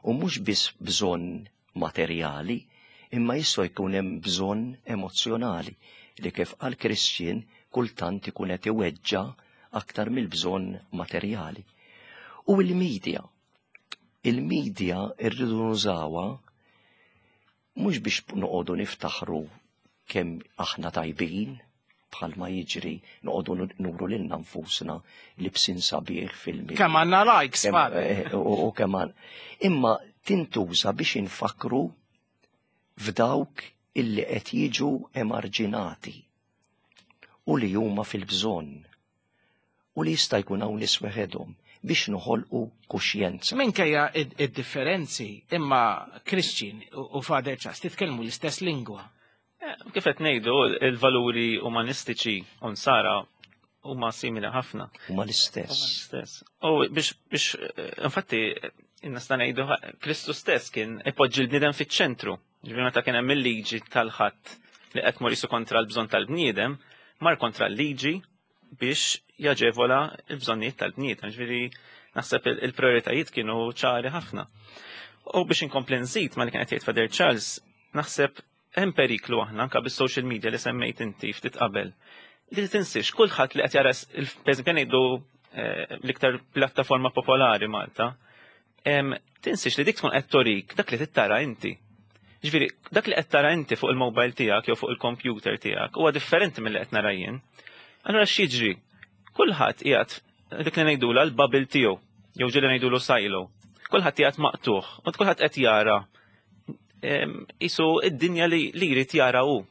u mhux biss bżonn materjali, imma jista' jkun hemm bżonn emozzjonali li kif qal Christian kultant ikun qed iweġġa' aktar mill-bżonn materjali. U l-media. Il-media rridu nużawha mhux biex noqogħdu niftaħru kemm aħna tajbin, bħalma jiġri noqogħdu nuru lilna nfusna libsin sabiħ fil-media. Kemm għandna likes, Father. U kemm għandna. Imma tintuża biex infakru f'dawk illi qed jiġu emarġinati. u li huma fil-bżonn u li jista' jkun hawn nies weħedhom biex noħolqu kuxjenza. Minkejja id-differenzi, imma Christian u Father Charles titkellmu l-istess lingwa. Eh, kif qed ngħidu, il-valuri umanistiċi u nsara huma simili ħafna. Huma l-istess. L-istess. U biex biex eh, infatti nista' ngħidu Kristu stess kien ipoġġi l-bniedem fiċ-ċentru. Ġifieri meta kien hemm il-liġi tal-ħadd li qed mur kontra l-bżonn tal-bniedem, mar kontra l-liġi biex jaġevola l-bżonnijiet tal-bniedem. Ġifieri naħseb il-prioritajiet kienu ċari ħafna. U biex inkompli nżid ma li kien qed jgħid Father Charles, naħseb hemm periklu aħna anke bis-social media li semmejt inti ftit qabel. Li tinsiex kulħadd li qed jara pereżempju ngħidu eh, l-iktar pjattaforma popolari Malta, tinsiex li dik tkun qed torik dak li tittara inti. Ġifieri, dak li qed tara inti fuq il-mobile tiegħek jew fuq il-computer tiegħek huwa differenti milli qed nara jien. Allura x'jiġri? Kulħadd qiegħed dik li ngħidula l-bubble tiegħu, jew ġieli ngħidulu silo. Kulħadd qiegħed maqtuħ u kulħadd qed jara isu id-dinja li jrid jara hu.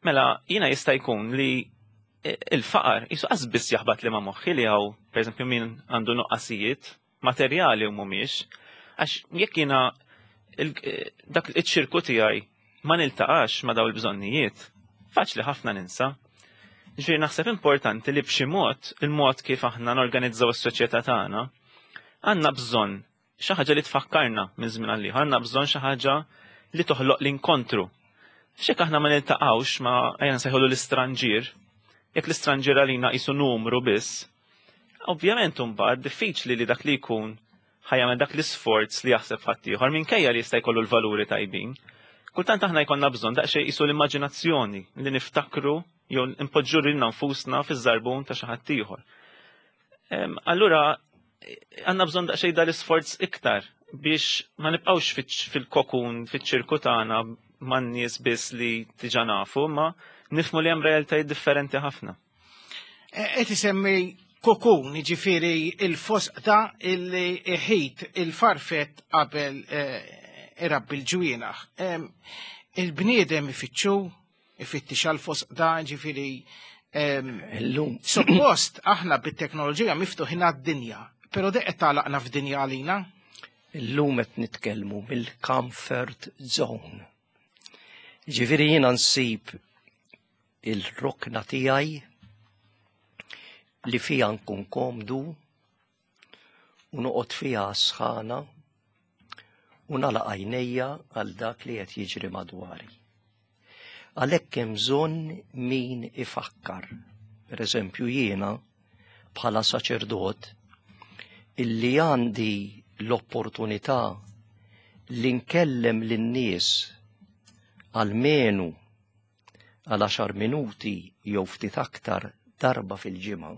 Mela jiena jista' jkun li e, il-faqar isu qas biss jaħbat li ma moħħi li hawn, pereżempju min għandu nuqqasijiet materjali u mhumiex, għax jekk jiena e, dak iċ-ċirku tiegħi ma niltaqax ma daw il-bżonnijiet, faċli ħafna ninsa. Ġifieri naħseb importanti li b'xi mod, il-mod kif aħna norganizzaw is-soċjetà tagħna, għandna bżonn xi ħaġa li tfakkarna minn żmien għal ieħor, għandna bżonn xi ħaġa li toħloq l-inkontru. X'jekk aħna ma niltaqgħux ma ejja nsejħulu l-istranġier, jekk l-istranġier għalina qisu numru biss, ovvjament imbagħad diffiċli li dak li jkun ħajjagħmel dak l-isforz li jaħseb ħaddieħor minkejja li jista' jkollu l-valuri tajbin. Kultant aħna jkollna bżonn daqsxejn qisu l-immaġinazzjoni li niftakru jew npoġġu lilna nfusna fiż-żarbun ta' xi ħadd ieħor. Allura għandna bżonn daqsxejn dal-isforz iktar biex ma nibqgħux fil-kokun, fiċ-ċirku tagħna man-nies biss li diġà nafu, ma nifmu li hemm realtajiet differenti ħafna. E, qed isemmi kokun, jiġifieri il-fosqta illi iħit il-farfett qabel e, irabbi l-ġwienaħ. Il-bniedem ifittxu, ifittix għal fosqta, ġifieri Illum. Suppost aħna bit-teknoloġija miftuħin għad-dinja, però deqet tagħlaqna f'dinja għalina. Illum qed nitkellmu mill-comfort zone. Ġifieri jiena nsib il-rokna tiegħi li fija nkun komdu u noqgħod fiha sħana u nagħlaq għajnejja għal dak li qed jiġri madwari. Għalhekk hemm bżonn min ifakkar. Per eżempju jiena bħala saċerdot illi għandi l-opportunità li nkellem lin-nies għalmenu għal għaxar minuti jew ftit aktar darba fil-ġimgħa.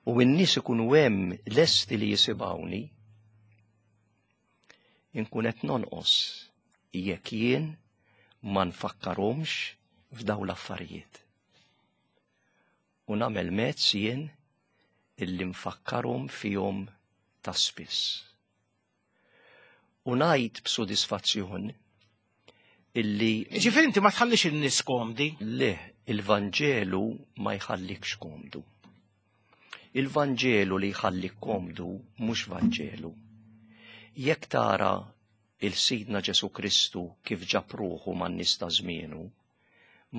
U n-nies ikunu hemm lesti li jisimgħuni, inkun qed nonqos jekk jien ma nfakkarhomx f'daw l-affarijiet. U nagħmel mezz jien illi nfakkarhom fihom ta' spiss. U ngħid b'sodisfazzjon illi. Ġifieri inti ma tħallix in-nies komdi? Le, il-Vanġelu ma jħallikx komdu. Il-Vanġelu li jħallik komdu mhux Vanġelu. Jekk tara il-Sidna Ġesu Kristu kif ġab ruħu man-nies ta' żmienu,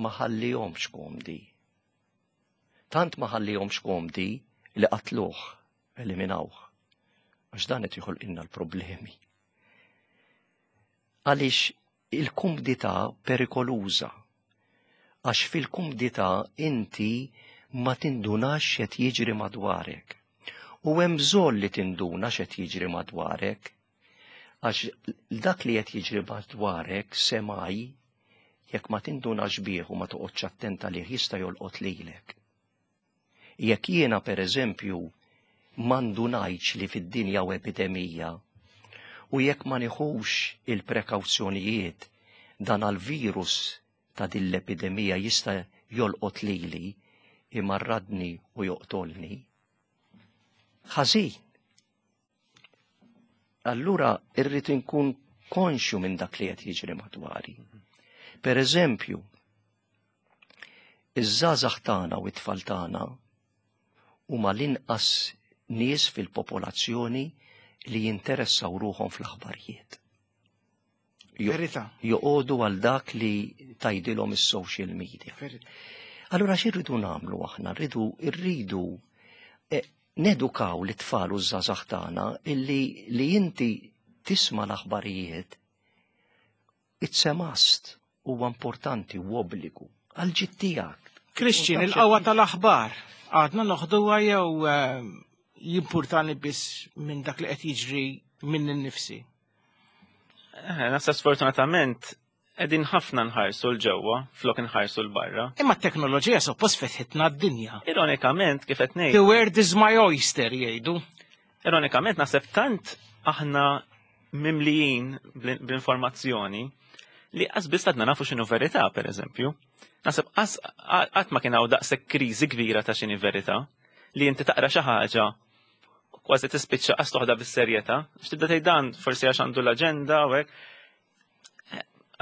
ma ħallihomx komdi. Tant ma ħallihomx komdi li qatluh, eliminawh. Għax dan qed joħolqilna l-problemi. Għaliex il-kumdità perikoluża. Għax fil-kumdità inti ma tindunax x'qed jiġri madwarek. U hemm bżonn li tinduna x'qed jiġri madwarek. Għax dak li qed jiġri madwarek semaj jekk ma tindunax bih u ma toqgħodx attent għalih jista' jolqot lilek. Jekk jiena pereżempju ma ndunajtx li fid-dinja hawn epidemija u jekk ma nieħux il-prekawzjonijiet dan għall-virus ta' din l-epidemija jista' jolqot lili, imarradni u joqtolni. Ħażin. Allura irrid inkun konxju minn dak li qed jiġri madwari. Per eżempju, Iż-żgħażagħ tagħna u t-tfal tagħna huma l-inqas nies fil-popolazzjoni li jinteressaw ruħhom fl-aħbarijiet. Verità. Joqogħdu għal dak li tgħidilhom is-social media. Allura x'irridu nagħmlu aħna? Rridu rridu eh, nedukaw l-tfal u ż-żgħażagħ tagħna illi li inti tisma' l-aħbarijiet it's a must huwa importanti u obbligu għal ġid tiegħek. Christian, il-qawwa tal-aħbar għadna noħduha jew eh, jimpurtani biss minn dak li qed jiġri minn innifsi? Eh, Nasa sfortunatament qegħdin ħafna nħarsu l-ġewwa flok nħarsu l-barra. Imma t-teknoloġija suppost fetħitna d-dinja. Ironikament, kif qed ngħid. The world is my oyster jgħidu. Ironikament naħseb tant aħna mimlijin bl-informazzjoni li qas biss għadna nafu x'inhu verità, per eżempju. Naħseb qatt ma kien hawn daqshekk kriżi kbira ta' x'inhi verità li inti taqra xi ħaġa kważi tispiċċa qas toħda bis-serjetà, x'tibda tgħid dan forsi għax għandu l-aġenda u hekk.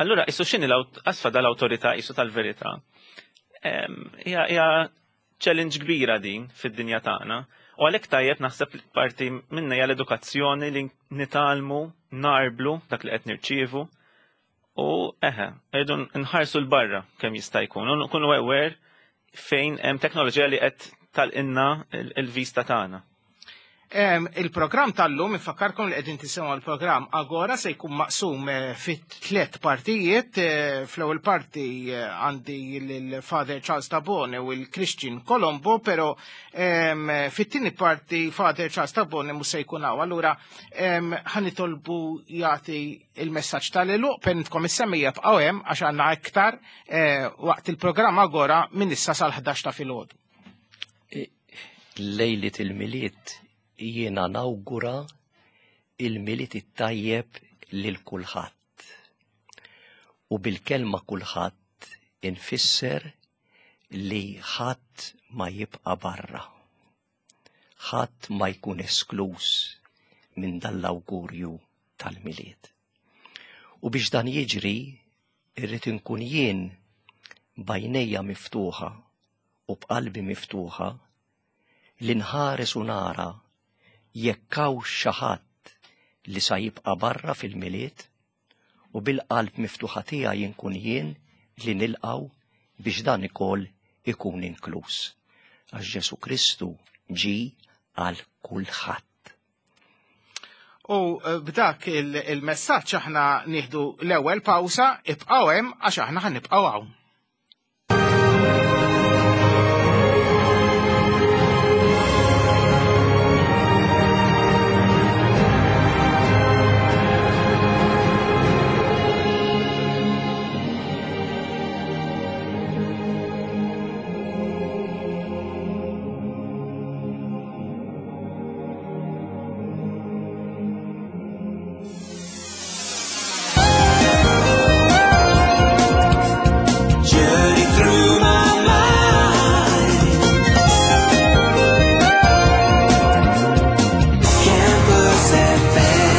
Allura isu x'inhi qas dal-awtorità isu tal-verità. Hija challenge kbira din fid-dinja tagħna. U għalhekk tajjeb naħseb parti minna hija l-edukazzjoni li nitgħallmu narblu dak li qed nirċievu u eħe, rridu nħarsu l-barra kemm jista' jkun u nkunu aware fejn hemm teknoloġija li qed tal-inna il-vista tagħna. Il-programm tal-lum, infakkarkom li qegħdin tisimgħu l-programm Agora se jkun maqsum eh, fit tliet partijiet. Eh, fl-ewwel parti eh, għandi l-Father Charles Tabone u l-Christian Colombo, però fit-tieni parti Father Charles Tabone mhux se jkun hawn. Allura ħanitolbu jagħti il-messaġġ tal-eluq penitkom is-semmija bqgħu hemm għax għandna iktar waqt il-programm Agora minn issa sal-11 ta' filgħodu. Lejliet il-Milied jiena nawgura il-Milied it-tajjeb lil kulħadd. U bil-kelma kulħadd infisser li ħadd ma jibqa' barra. Ħadd ma jkun eskluż minn dan l-awgurju tal-Milied. U biex dan jiġri, irrid inkun jien b'għajnejja miftuħa u b'qalbi miftuħa li nħares u nara jekk hawnx xi ħadd li sa jibqa' barra fil-Milied u bil-qalb miftuħa tiegħi inkun jien li nilqgħu biex dan ikoll ikun inkluż. Għax Ġesu Kristu ġie għal kulħadd. U eh, b'dak il-messaġġ aħna nieħdu l-ewwel pawsa, ibqgħu hemm għax aħna ħanibqgħu hawn. Journey through my mind. Campus FM.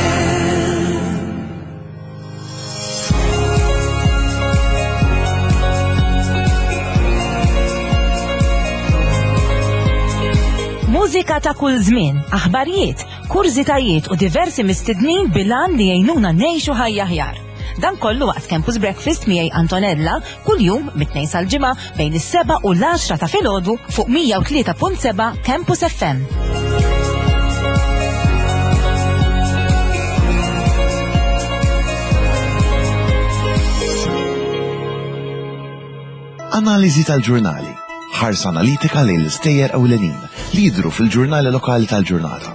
Mużika ta' kull żmien, aħbarijiet, kurżitajiet u diversi mistednin bil-għan li jgħinuna ngħixu ħajja aħjar. Dan kollu waqt Campus Breakfast miegħi Antonella kuljum mit-tnejn sal-ġimgħa bejn is-7 u l-10 ta' filgħodu fuq 103.7 Campus FM. Analiżi tal-ġurnali. Ħarsa analitika lejn l-istejjer ewlenin li jidhru fil-ġurnali lokali tal-ġurnata.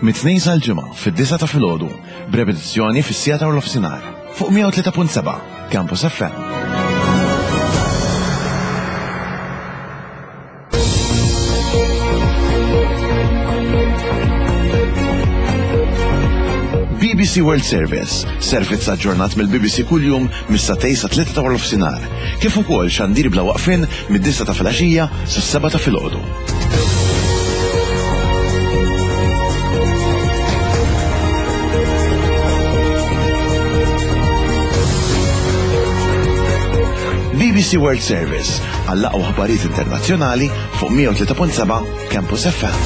Mit-tnejn sal-ġimgħa fid-9 ta' filgħodu, b'repetizzjoni fis-siegħa ta' nofsinhar fuq 103.7 Campus FM. BBC World Service, servizz aġġornat mill-BBC kuljum mis-satej sa 3 ta' nofsinhar, kif ukoll xandir bla waqfien mid-9 ta' filgħaxija sas-7 ta' filgħodu. mal-BBC World Service għall-aqwa aħbarijiet internazzjonali fuq 103.7 Campus FM.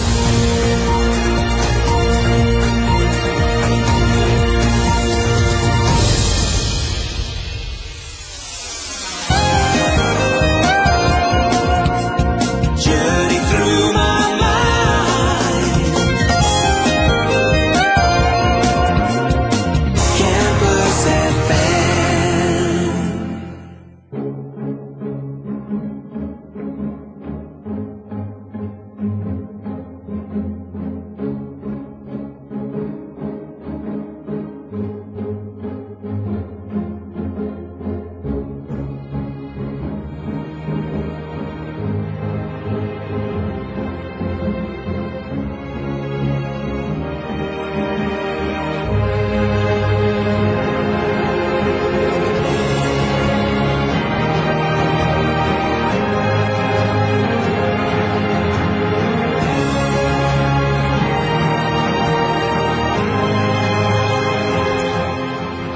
Journey through my mind. Campus FM.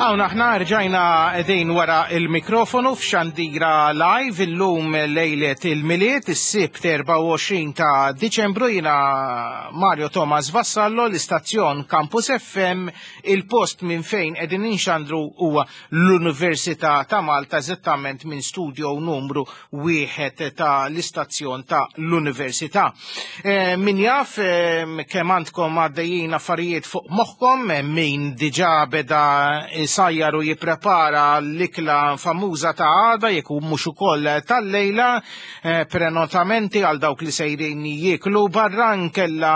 Hawn aħna rġajna qegħdin wara il-mikrofonu f'Xandira Live illum lejlet il-Milied, is-Sibt 24 ta' Diċembru jiena Mario Thomas Vassallo, l-istazzjon Campus FM, il-post minn fejn qegħdin inxandru huwa l-Università ta' Malta eżattament minn studio numru wieħed ta' l-istazzjon ta' l-Università. Eh, min jaf eh, kemm għandkom għaddejjin affarijiet fuq moħħkom, eh, min diġà beda sajjar u jipprepara l-ikla famuża ta' għada jekk hu mhux ukoll tal-lejla, prenotamenti għal dawk li sejrin jieklu barra nkella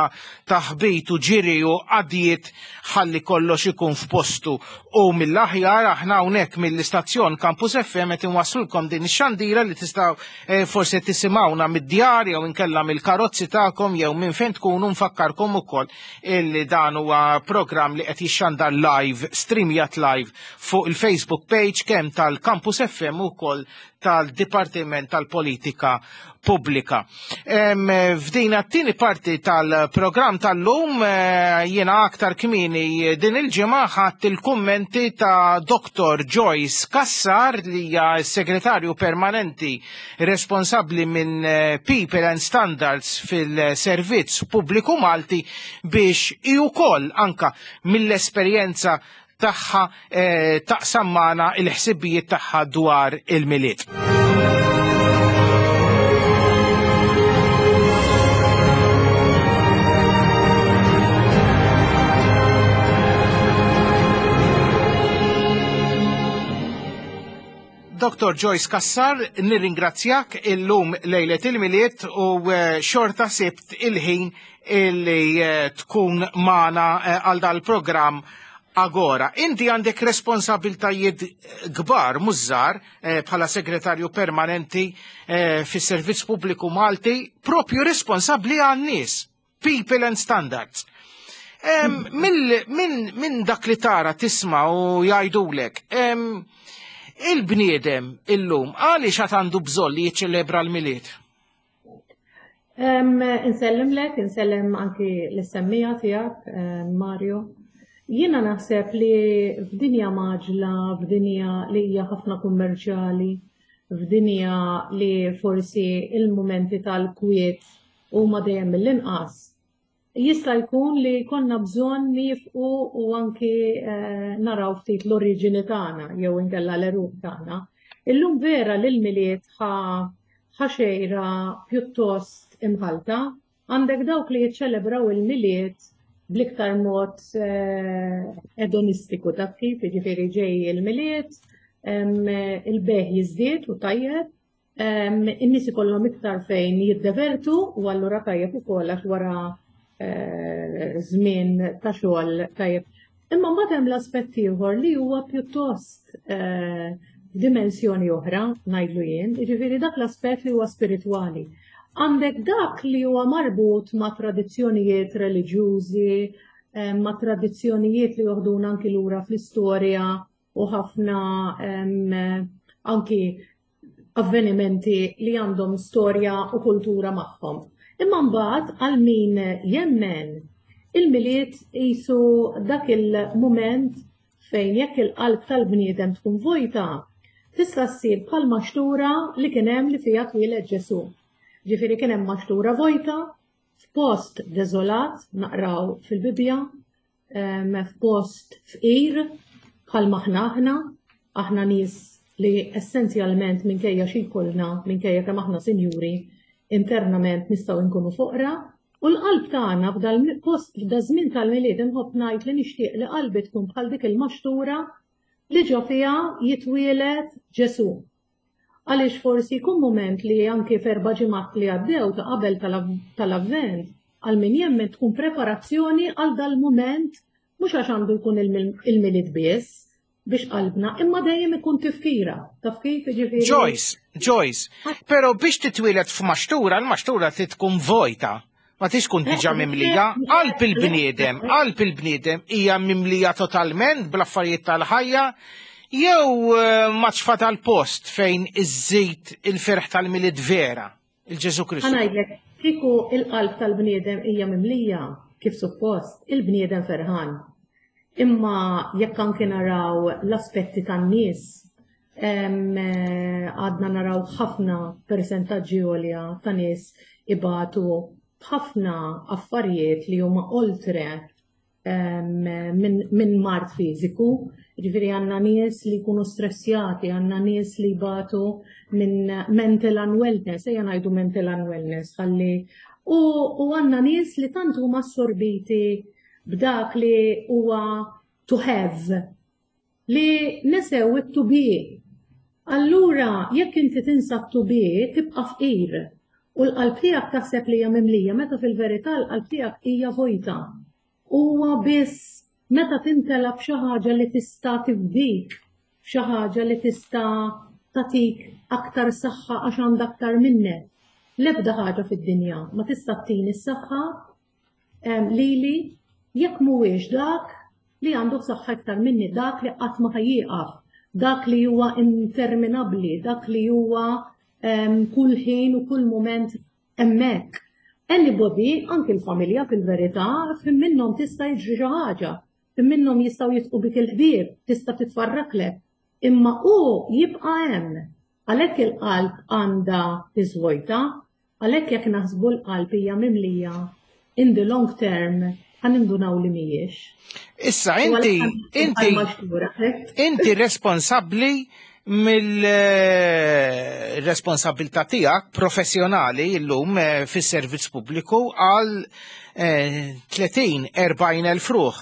taħbit u ġiri u qadjiet ħalli kollox ikun f'postu. U mill-aħjar aħna hawnhekk mill-istazzjon Campus FM qed inwasslulkom din ix-xandira li tistgħu eh, forsi tisimgħuna mid-djar jew inkella mill-karozzi tagħkom jew minn fejn tkunu nfakkarkom ukoll illi dan huwa programm li qed jixxandar live, streamjat live fuq il-Facebook page kemm tal-Campus FM ukoll tal-Dipartiment tal-Politika Pubblika. F'din t-tieni parti tal-programm tal-lum eh, jiena aktar kmieni din il-ġimgħa ħadd il-kummenti ta' Dr. Joyce Kassar li hija s-segretarju permanenti responsabbli minn eh, People and Standards fil-Servizz Pubbliku Malti biex hi wkoll anka mill-esperjenza tagħha eh, taqsam magħna il-ħsibijiet tagħha dwar il-Milied. Dr. Joyce Kassar, nirringrazzjak illum lejlet il-Milied u eh, xorta sibt il-ħin illi eh, tkun magħna eh, għal dal-programm Agora. Inti għandek responsabiltajiet kbar mhux żgħar bħala segretarju permanenti fis-Servizz Pubbliku Malti, propju responsabbli għan-nies, People and Standards. Minn dak li tara tisma' u jgħidulek, il-bniedem illum għaliex għad għandu bżonn li jiċċelebra l-Milied? Insellimlek, insellem anki l-semmija tiegħek, Mario. Jiena naħseb li f'dinja maġla, f'dinja li hija ħafna kummerċjali, f'dinja li forsi il-mumenti tal-kwiet huma dejjem mill-inqas, jista' jkun li konna bżonn nifqu u anki eh, naraw ftit l-oriġini tagħna jew inkella l-eruq tagħna. Illum vera li l-miliet ħa xejra pjuttost imħalta, għandek dawk li jiċċelebraw il-miliet bl-iktar mod eh, edonistiku taf kif, jiġifieri ġej il-miliet, il-beħ jiżdied u tajjeb, In-nies ikollhom iktar fejn jiddevertu u allura tajjeb ukoll għax wara eh, żmien ta' xogħol tajjeb. Imma mbagħad hemm l-aspett ieħor li huwa pjuttost eh, dimensjoni oħra, ngħidlu jien, jiġifieri dak l-aspett li huwa spiritwali. Għandek dak li huwa marbut ma' tradizzjonijiet reliġjużi, eh, ma' tradizzjonijiet li joħduna anki lura fl-istorja u ħafna anki avvenimenti li għandhom storja u kultura magħhom. Imma mbagħad għal min jemmen il-milied qisu dak il-mument fejn jekk il-qalb tal-bniedem tkun vojta, Tista' ssir bħal maxtura li kien hemm li fiha twieled Ġesù. Ġifieri kien hemm maxtura vojta f'post deżolat naqraw fil-Bibbja, f'post fqir bħal maħna aħna, aħna nies li essenzjalment minkejja xi jkollna, minkejja kemm aħna sinjuri, internament nistgħu nkunu foqra, u l-qalb tagħna f'dal-post f'da żmien tal-Milied inħobb ngħid li nixtieq li qalbi tkun bħal dik il-maxtura li ġo fiha jitwieled Ġesù. Għaliex forsi jkun mument li anki f'erba' ġimgħat li għaddew ta' qabel tal-Avvent, għal min jemmen tkun preparazzjoni għal dal-mument mhux għax għandu jkun il-Milied biss biex qalbna, imma dejjem ikun tifkira. Taf kif jiġifieri? Joyce, Joyce, pero biex titwieled f'maxtura, l-maxtura trid tkun vojta. Ma tix tkun diġà mimlija. Qalb il-bniedem, qalb il-bniedem hija mimlija totalment bl-affarijiet tal-ħajja jew eh, maċfa tal-post fejn iżżid il-ferħ tal-Milied vera, il-Ġesu Kristu. Ħa ngħidlek, kieku il-qalb tal-bniedem hija mimlija kif suppost, il-bniedem ferħan. Imma jekk anki naraw l-aspetti tan-nies, għadna naraw ħafna persentaġġi għolja ta' nies ibatu b'ħafna affarijiet li huma oltre minn mard fiżiku. Ġifieri għandna nies li jkunu stressjati, għandna nies li jbatu minn mental unwellness, ejja ngħidu mental unwellness, ħalli u, u għandna nies li tant huma assorbiti b'dak li huwa to have li nesew it-to be. Allura, jekk inti tinsa to be, tibqa' fqir. U l-qalb tiegħek taħseb li hija mimlija, meta fil-verità l-qalb tiegħek hija vojta. Huwa biss meta timtela b'xi ħaġa li tista' tifdik, xi ħaġa li tista' tagħtik aktar saħħa għax għandha aktar minnek. L-ebda ħaġa fid-dinja ma tista' ttini s-saħħa lili jekk mhuwiex dak li għandu saħħa iktar minni, dak li qatt ma ħajjieqaf, dak li huwa interminabbli, dak li huwa kull ħin u kull moment hemmhekk. Anybody, anki l-familja fil-verità, fim minnhom tista' jiġri xi ħaġa, fim minnhom jistgħu jitqu bik il-ħbieb, tista' titfarraklek, imma hu jibqa' hemm. Għalhekk il-qalb għandha tiżvojta, għalhekk jekk naħsbu l-qalb hija mimlija in the long term ħa nindunaw li mhijiex. Issa inti inti inti responsabbli mill-responsabilità tiegħek professjonali llum eh, fis-servizz pubbliku għal 30-40 eh, elf ruħ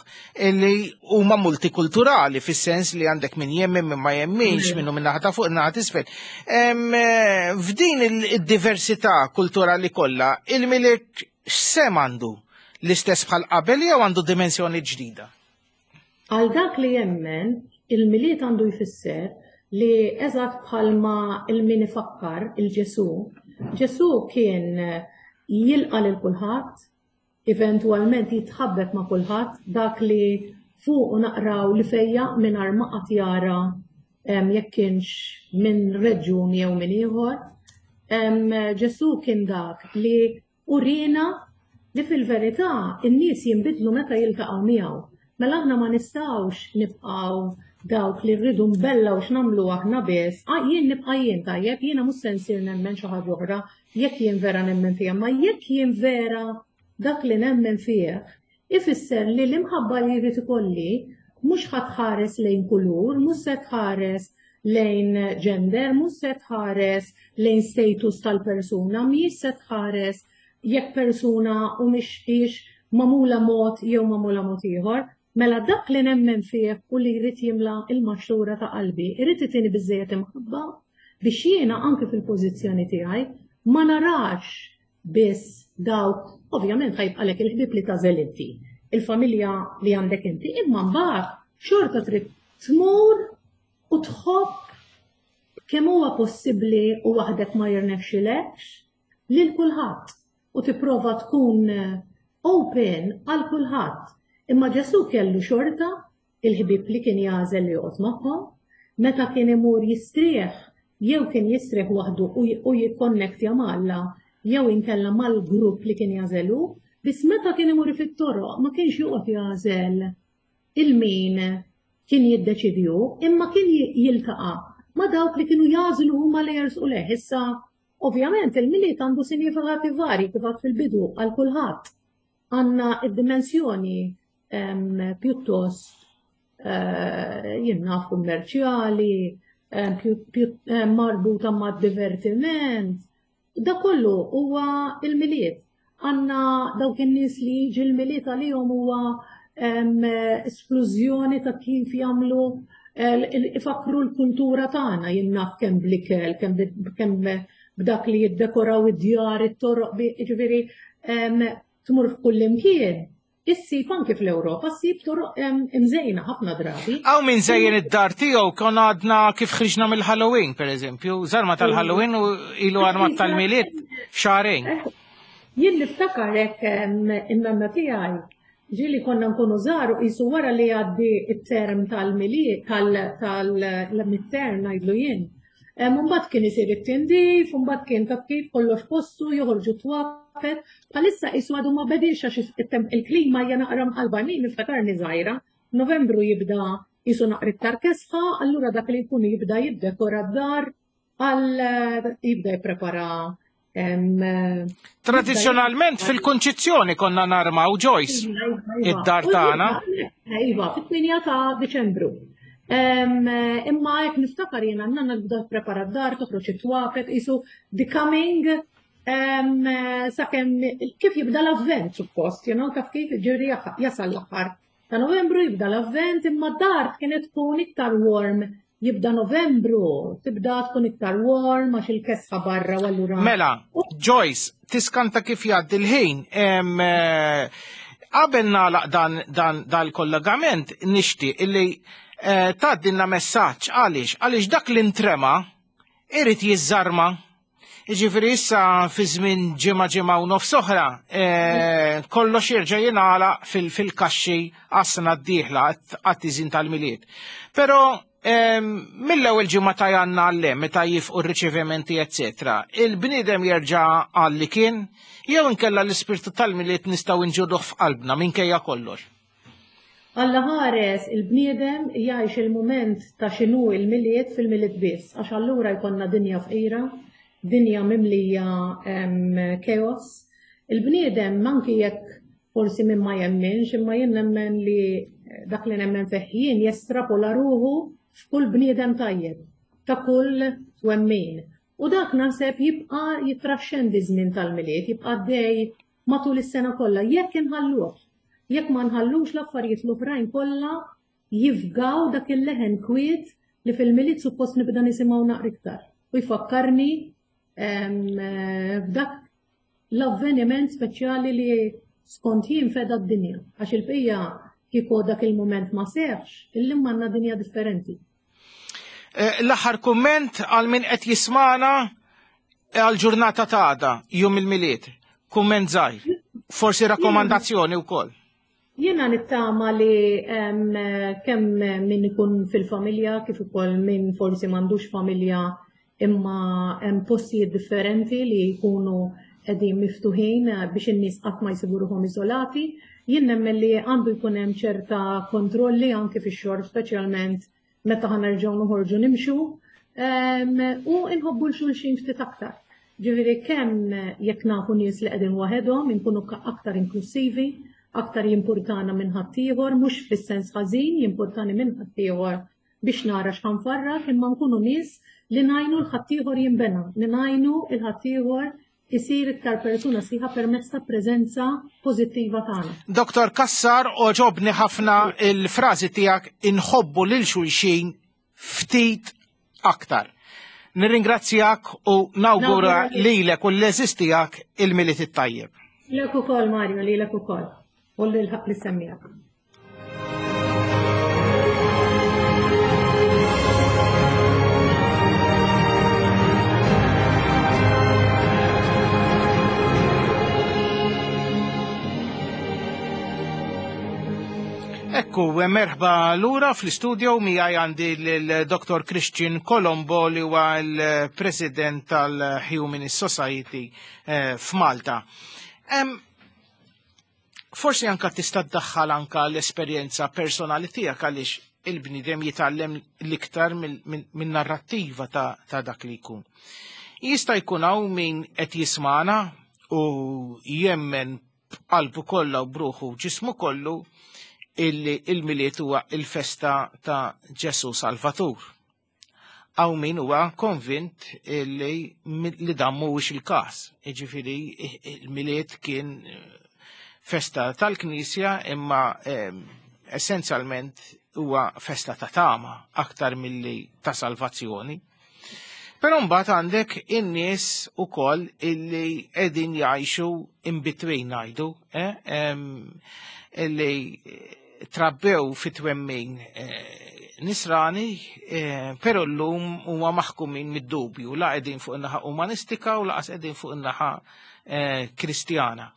li huma multikulturali fis-sens li għandek min jemmen min ma jemminx minnu minn naħa ta' fuq naħa t'isfel. Eh, f'din id-diversità kulturali kollha, il-Milied x'sehem għandu l-istess bħal qabel jew għandu dimensjoni ġdida? Għal dak li jemmen, il-Milied għandu jfisser li eżatt bħalma il-min ifakkar il-Ġesu, Ġesu kien jilqa' lil kulħadd, eventwalment jitħabbeb ma' kulħadd, dak li fuq naqraw li fejjaq mingħajr ma qatt jara jekk kienx minn reġjun jew minn ieħor. Ġesu kien dak li uriena li fil-verità in-nies jinbidlu meta jiltaqgħu miegħu. Mela aħna ma nistgħux nibqgħu dawk li rridu nbellaw x'nagħmlu aħna biss. Ah, jien nibqa' jien tajjeb, jiena mhux se nsir nemmen xi ħaġa oħra jekk jien vera nemmen fiha, ma jekk jien vera dak li nemmen fih, ifisser li l-imħabba li jrid ikolli mhux ħa tħares lejn kulur, mhux se tħares lejn gender, mhux se tħares lejn status tal-persuna, mhijiex se tħares jekk persuna u mhix magħmula mod jew magħmula mod ieħor. Mela dak li nemmen fih u li jrid jimla il-maxtura ta' qalbi, irid itini biżejjed imħabba biex jiena anke fil-pożizzjoni tiegħi ma narax biss dawk, ovvjament ħa jibqalek il-ħbieb li tagħżel inti, il-familja li għandek inti, imma mbagħad xorta trid tmur u tħobb kemm huwa possibbli u waħdek ma jirnexxilekx lil kulħadd u tipprova tkun open għal kulħadd. Imma Ġesu kellu xorta il-ħbieb li kien jagħżel li joqgħod magħhom, meta kien imur jistrieħ jew kien jistrieħ waħdu u jikkonnektja ma' Alla jew inkella mal-grupp li kien jagħżelu, biss meta kien imur fit-toroq ma kienx joqgħod jagħżel il-min kien jiddeċidju, imma kien jiltaqa' ma' dawk li kienu jagħżlu huma li jersqu lejh. Issa, ovvjament, il-Milied għandu sinjifikati varji kif għad fil-bidu għal kulħadd. Għandna id-dimensjoni pjuttost eh, jien naf kummerċjali, marbuta ma' divertiment. Da kollu huwa il-Milied. Għandna dawk in-nies li jiġi l-Milied għalihom huwa esklużjoni ta' kif jagħmlu ifakru l-kultura tagħna jien naf kemm bl-ikel, kemm b'dak li jiddekoraw id-djar, it-toroq, jiġifieri tmur f'kull imkien Issib anki fl-Ewropa ssib toroq imżejna ħafna drabi. Hawn min żejjen id-dar tiegħu kon għadna kif ħriġna mill-Halloween, pereżempju, żarma tal-Halloween u ilu armat tal-Milied xahrejn. Jien niftakar hekk in-nanna tiegħi ġieli konna nkunu żgħar u qisu wara li jgħaddi t-term tal-Milied tal-midterm ngħidlu jien. Mbagħad kien isir it-tindif, mbagħad kien taf kif kollox postu, joħorġu twapet. Bħalissa qisu għadu ma bediex għax il-klima hija naqra mqalba. Jien niftakarni żgħira, Novembru jibda qisu naqra iktar kesħa, allura dak li jkun jibda jiddekora d-dar għal jibda jipprepara Tradizzjonalment fil-Kunċizzjoni konna narmaw Joyce iva, iva. id-dar tagħna. Iva, fit-8 ta' Diċembru. Imma jekk niftakar jiena nanna tibda prepara d-dar, toħroġ it-twapet, isu the coming sakemm kif jibda l-avvent suppost, you know, taf kif ġiri jasal l-aħħar ta' Novembru jibda l-Avvent imma d-dar kienet tkun iktar warm jibda Novembru, tibda tkun iktar warm għax il-kesħa barra u allura. Mela, Joyce, tiskanta kif jgħaddi l-ħin. Eh, qabel nagħlaq dan dan dal-kollegament nixtieq illi eh, tgħaddilna messaġġ għaliex għaliex dak li ntrema irid jiżżarma Jiġifieri issa fi żmien ġimgħa ġimgħa u nofs oħra, eh, kollox jerġa' jingħalaq fil-kaxxi għas-sena d-dieħla għat-tiżin tal-Milied. Però ehm, mill-ewwel ġimgħa ta' janna għall meta jifqu r-riċevimenti eċetera, il-bniedem jerġa' għal li kien jew inkella l-ispirtu tal-Milied nistgħu nġuduh f'qalbna minkejja kollox. Alla ħares il-bniedem jgħix il-mument ta' x'inhu il-Milied fil-Milied biss, għax allura jkollna dinja fqira, dinja mimlija chaos. Il-bniedem anki jekk forsi min ma jemminx, imma jien nemmen li dak li nemmen fih jien jestrapola ruħu f'kull bniedem tajjeb, ta' kull twemmin. U dak naħseb jibqa' jittraxxendi ż-żmien tal-Milied, jibqa' għaddej matul is-sena kollha jekk inħalluh. Jekk ma nħallux l-affarijiet l-oħrajn kollha jifgaw dak il-leħen kwiet li fil-Milied suppost nibda nisimgħu naqra iktar u jfakkarni f'dak l-avveniment speċjali li skont jien feda d-dinja. Għax il-bqija kieku dak il-mument ma seħx, illum għandna dinja differenti. Eh, l-aħħar kumment għal min qed jismana eh, għal ġurnata ta' għada, jum il-Milied. Kumment żgħir. Forsi rakkomandazzjoni wkoll. Jiena nittama li kemm min ikun fil-familja kif ukoll min forsi m'għandux familja imma hemm postijiet differenti li jkunu qegħdin miftuħin biex in-nies qatt ma jsibu ruħhom iżolati. Jien nemmen li għandu jkun hemm ċerta kontrolli anke fix-xorb speċjalment meta ħa nerġgħu noħorġu nimxu u nħobbu l-xulxin ftit aktar. Ġifieri kemm jekk nafu nies li qegħdin waħedhom, inkunu aktar inklusivi, aktar jimpurtana minn ħaddieħor, mhux fis-sens ħażin jimpurtani minn ħaddieħor biex nara x'ħanfarrak, imma nkunu nies li ngħinu l-ħaddieħor jinbena, li ngħinu l-ħaddieħor isir iktar persuna sħiħa permezz ta' preżenza pożittiva tagħna. Dr. Cassar, oġobni ħafna il-frażi tiegħek inħobbu lil xulxin ftit aktar. Nirringrazzjak u nawgura lilek u l-eżis tiegħek il-Milied it-tajjeb. Lilek ukoll Mario, lilek ukoll. U lil ħaq li semmijak. Ekku, merħba lura fl-istudio miegħi għandi l-Dr. Christian Colombo li huwa l-President tal-Humanist Society eh, f'Malta. Forsi anka tista' ddaħħal anka l-esperjenza personali tiegħek għaliex Il-bniedem jitgħallem l-iktar min-narrattiva ta' dak li jkun. Jista' jkun hawn min qed jismagħna u jemmen b'qalbu kollha u bruħu ġismu kollu illi il-Milied huwa il-festa ta' Ġesu Salvatur. Hawn min huwa konvint illi li dan mhuwiex il-każ. Jiġifieri il-Milied kien festa tal-Knisja imma essenzjalment huwa festa ta' tama aktar milli ta' salvazzjoni. Però mbagħad għandek in-nies ukoll illi qegħdin jgħixu in between ngħidu, eh? Illi trabbew fi twemmin nisrani, però llum huma maħkumin mid-dubju, la qegħdin fuq in-naħa umanistika u laqas qegħdin fuq in-naħa Kristjana.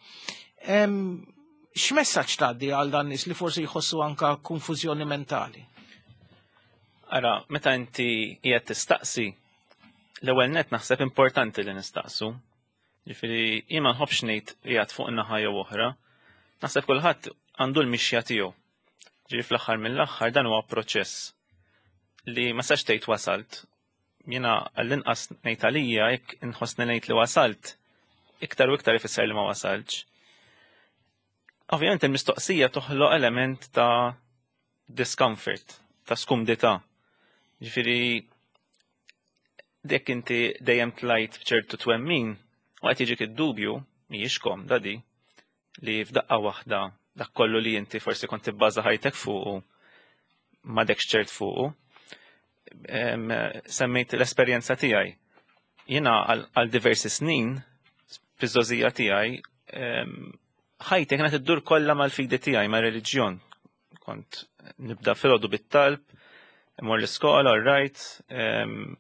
X'messaġġ tgħaddi għal dan nies li forsi jħossu anka konfużjoni mentali? Ara, meta inti qiegħed tistaqsi, l-ewwel net naħseb importanti li nistaqsu. Ġifieri jien ma nħobbx ngħid qiegħed fuq naħa jew oħra. Naħseb kulħadd għandu l-mixja tiegħu. Ġifieri fl-aħħar mill-aħħar dan huwa proċess li ma sax tgħid wasalt. Jiena għall-inqas ngħid għalija jekk inħossni ngħid li wasalt, iktar u iktar ifisser li ma wasaltx. Ovvjament il-mistoqsija toħloq element ta' discomfort, ta' skumdità. Ġifieri dek inti dejjem tlajt b'ċertu twemmin u qed jiġik id-dubju mhijiex komda di li f'daqqa waħda dak kollu li inti forsi kont tibbaża ħajtek fuqu m'għadekx ċert fuqu. Semmejt l-esperjenza tiegħi. Jiena għal diversi snin fiż-żgħożija tiegħi ħajti kienet iddur kollha mal-fidi tiegħi, mar-reliġjon. Kont nibda filgħodu bit-talb, imur l-iskola, all right,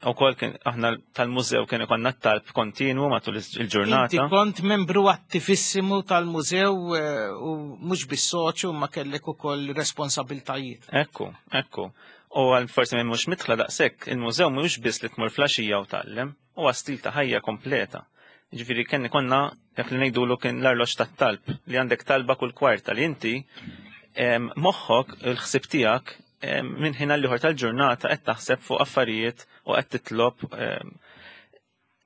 u kol kien aħna tal-mużew kien ikonna t-talb kontinwu matul il-ġurnata. Inti kont membru attivissimu tal-mużew u mhux bis-soċju ma kellek ukoll responsabiltajiet. Ekku, ekku. U għal forsi minn mhux mitħla daqshekk, il-mużew mhux biss li tmur flaxija u tgħallem, huwa stil ta' ħajja kompleta. Ġifieri kien konna dak li ngħidulu kien l-arloġġ tat-talb li għandek talba kull kwarta li inti moħħok il-ħsieb tiegħek minn ħin għal ieħor tal-ġurnata qed taħseb fuq affarijiet u qed titlob.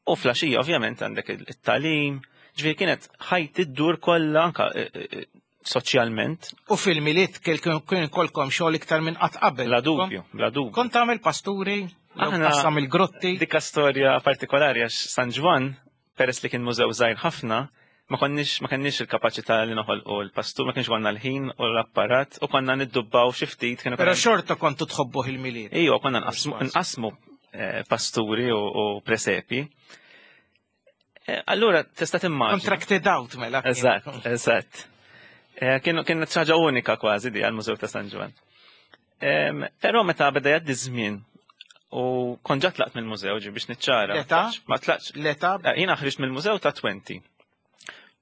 U flaxija ovvjament għandek it-tagħlim, ġifieri kienet ħajti ddur kollha anka soċjalment. U fil-Milied kien kolkom xogħol iktar minn qatt qabel. Bla dubju, bla dubju. Kont tagħmel pasturi, Aħna qassam il-grotti. Dikka storja partikolari għax San Ġwann, peress li kien mużew żgħir ħafna, ma konniex ma kenniex il-kapaċità li noħolqu l-pastur, ma kienx konna l-ħin u l-apparat u konna niddubbaw xi ftit kienu Però xorta kontu tħobbuh il-Milied. Ejwa, konna nqasmu pasturi u presepi. Allura tista' timmaġina. Contracted out mela. Eżatt, eżatt. Kienet xi ħaġa unika kważi di għall-Mużew ta' San Ġwann. Però meta beda jgħaddi żmien u kont ġa tlaqt mill-mużew ġi biex niċċara. L-età? Ma tlaqtx. L-età? Jiena ħriġt mill-mużew ta' 20.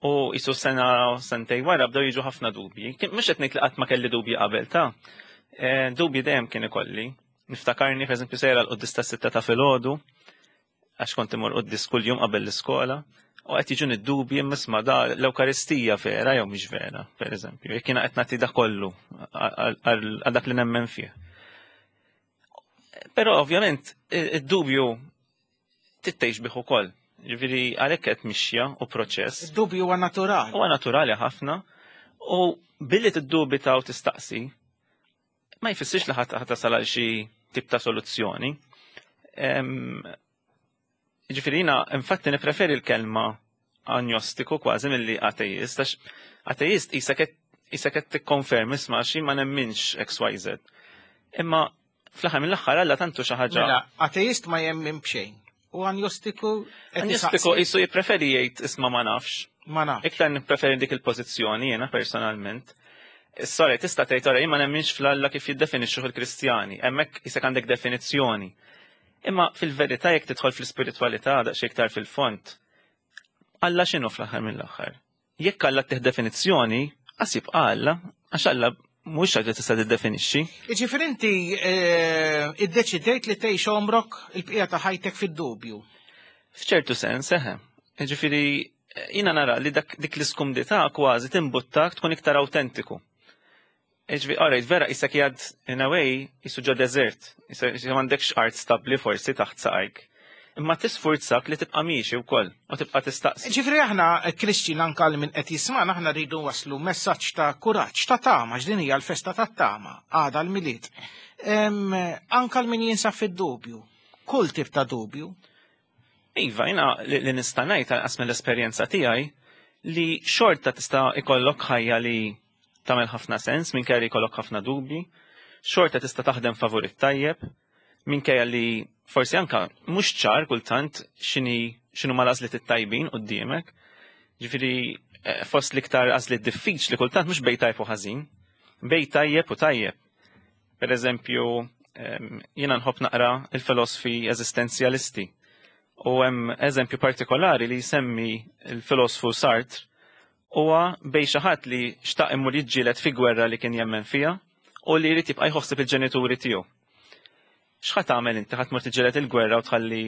U jisu sena sentej wara bdew jiġu ħafna dubji. Mhux qed ngħid li qatt ma kelli dubji qabel ta' dubji dejjem kien ikolli. Niftakarni pereżempju sejra l-quddis tas-6 ta' filgħodu għax kont imur quddis kuljum qabel l-iskola, u qed jiġuni d-dubji imma da l-Ewkaristija vera jew mhix vera, pereżempju, jekk jiena qed nagħti da kollu għal dak li nemmen fih. Però ovvjament id-dubju tittejx bih ukoll. Ġifieri għalhekk qed mixja u proċess. Id-dubju huwa naturali. Huwa naturali ħafna u billi tiddubita u tistaqsi ma jfissirx li ħadd tasal għal xi tip ta' soluzzjoni. Ġifieri jiena infatti nippreferi l-kelma agnostiku kważi milli ateist, għax ateist qisek qed tikkonfermi isma' xi ma nemminx XYZ. Imma fl-aħħar mill-aħħar Alla tantu xi ħaġa. Mela, ateist ma jemmin b'xejn. U agnostiku qed Agnostiku isaqsi. qisu jippreferi jgħid isma' ma nafx. Ma nafx. Iktar nippreferi dik il-pożizzjoni jiena personalment. Sorry, tista' tgħid ora jien ma nemminx fl-Alla kif jiddefinixxuh il-Kristjani, hemmhekk isek għandek definizzjoni. Imma fil-verità jekk tidħol fl-ispiritwalità daqsxejn iktar fil-fond, Alla x'inhu fl-aħħar mill-aħħar? Jekk Alla tih definizzjoni, qas jibqa' Alla, għax Alla mhuwiex ħaġa tista' tiddefinixxi. Jiġifieri inti iddeċidejt li tgħix għomrok il-bqija ta' ħajtek fid-dubju. F'ċertu sens, eħe. Jiġifieri jiena nara li dik l-iskumdità kważi timbuttak tkun iktar awtentiku. Ġifieri, alright, vera isek jgħad in a way jisu ġo desert, isek m'għandekx art stabbli forsi taħt saqajk. Imma tisfurzak li tibqa' miexi wkoll u tibqa' tistaqsi. Ġifieri aħna Christian anka li min qed jisma'na aħna rridu waslu messaġġ ta' kuraġġ, ta' tama, x'din hija l-festa tat-tama, għada l-Milied. Anka l min jinsab fid-dubju, kull tip ta' dubju. Iva, jina li nista' ngħid għas mill-esperjenza tiegħi li xorta tista' ikollok ħajja li tagħmel ħafna sens minkejja li jkollok ħafna dubji, xorta tista' taħdem favur it-tajjeb, minkejja li forsi anka mhux ċar kultant x'inhi x'inhu ma l-għażliet it-tajbin quddiemek. Ġifieri eh, fost l-iktar għażliet diffiċli kultant mhux bej tajb u ħażin, bej tajjeb u tajjeb. Per eżempju, jiena nħobb naqra il-filosfi eżistenzjalisti. U hemm eżempju partikolari li jsemmi il-filosfu Sartre huwa bej xi ħadd li xtaq imur jiġġieled fi gwerra li kien jemmen fiha u li jrid jibqa' jħossib il-ġenituri tiegħu. X'ħa tagħmel inti ħadd tmur tiġġieled il-gwerra u tħalli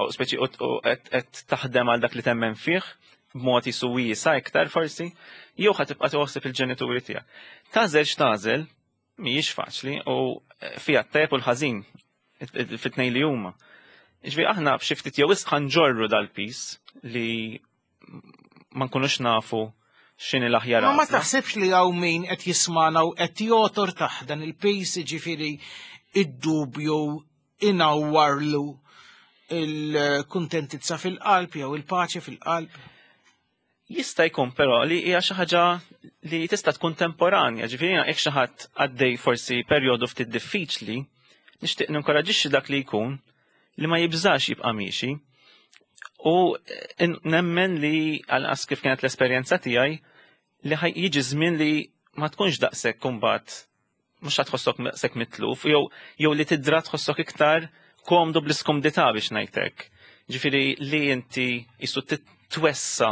u speċi u qed taħdem għal dak li temmen fih b'mod jisu wiesa iktar forsi, jew ħa tibqa' tħossib il-ġenituri tiegħek. Tażel x'tażel, mhijiex faċli u fiha t-tajjeb u l-ħażin fit-tnejn li huma. Ġifieri aħna b'xi ftit jew wisq ħanġorru dal-pis li ma nkunux nafu x'inhi l-aħjar. Ma taħsibx li hawn min qed jismana u qed jotor taħt dan il-pis ġifieri id-dubju inawwarlu il-kuntentizza fil-qalb jew il-paċi fil-qalb? Jista' jkun però li hija xi ħaġa li tista' tkun temporanja, ġifieri jekk xi ħadd għaddej forsi perjodu ftit diffiċli, nixtieq ninkoraġixxi dak li jkun li ma jibżax jibqa' miexi. U eh, nemmen li għalqas kif kienet l-esperjenza tiegħi li jiġi żmien li ma tkunx daqshekk kumbat mhux ħa tħossok daqshekk mitluf, jew jew li tidra tħossok iktar komdu bl-iskumdità biex ngħidlek. Ġifieri li inti jisu titwessa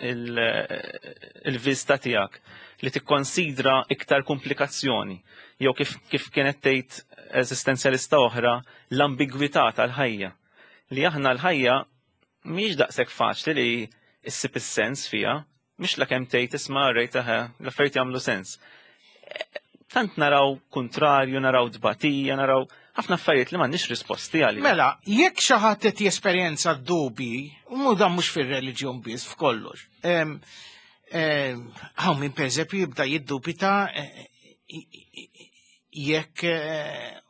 il-vista tiegħek li tikkonsidra iktar komplikazzjoni jew kif, kif kienet tgħid eżistenzjalista oħra l-ambigwità tal-ħajja. Li aħna l-ħajja mhijiex daqshekk faċli li issib is-sens fiha, mhix la kemm tgħid isma' rejt eħe, l-affarijiet jagħmlu sens. Tant naraw kontrarju, naraw tbatija, naraw ħafna affarijiet li m'għandniex risposti għalihom. Mela, jekk xi ħadd qed jesperjenza dubji, u dan mhux fir-reliġjon biss f'kollox. Hawn min pereżempju jibda jiddubita eh, jekk eh,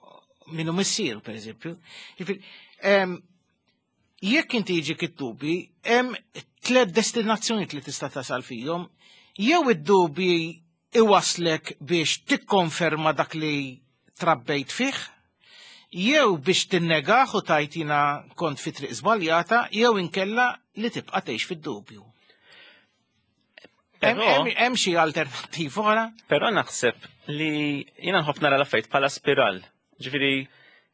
minnu missieru pereżempju. Jekk inti jiġik id-dubji, hemm tliet destinazzjonijiet li tista' tasal fihom. Jew id-dubji iwaslek biex tikkonferma dak li trabbejt fih, jew biex tinnegah u tgħid jiena kont fi triq żbaljata, jew inkella li tibqa' tgħix fid-dubju. Hemm xi alternattiva oħra? Però naħseb li jiena nħobb nara l-affarijiet bħala spiral. Ġifieri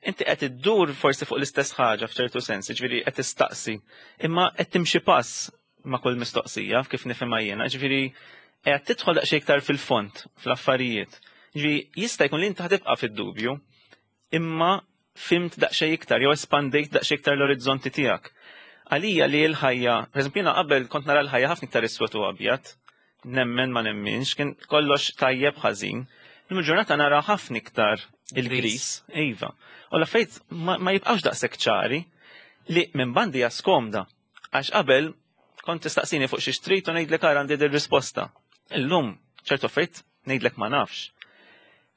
inti qed iddur forsi fuq l-istess ħaġa f'ċertu sens, ġifieri qed tistaqsi, imma qed timxi pass ma' kull mistoqsija kif nifhimha jiena, ġifieri qed tidħol daqsxejn iktar fil-fond fl-affarijiet. Ġifieri jista' jkun li inti ħatibqa' fid-dubju, imma fimt daqsxejn iktar jew espandejt daqsxejn iktar l-orizzonti tiegħek. Għalija li l-ħajja, pereżempju jiena qabel kont nara l-ħajja ħafna iktar iswed u abjad, nemmen ma nemminx, kien kollox tajjeb ħażin. Illum il-ġurnata nara ħafna iktar il-gris, iva. U l-affarijiet ma jibqgħux daqshekk ċari li minn bandi hija skomda. Għax qabel kont tistaqsini fuq xi xtrid u ngħidlek ara għandi dir-risposta. Illum ċertu affarijiet ngħidlek ma nafx.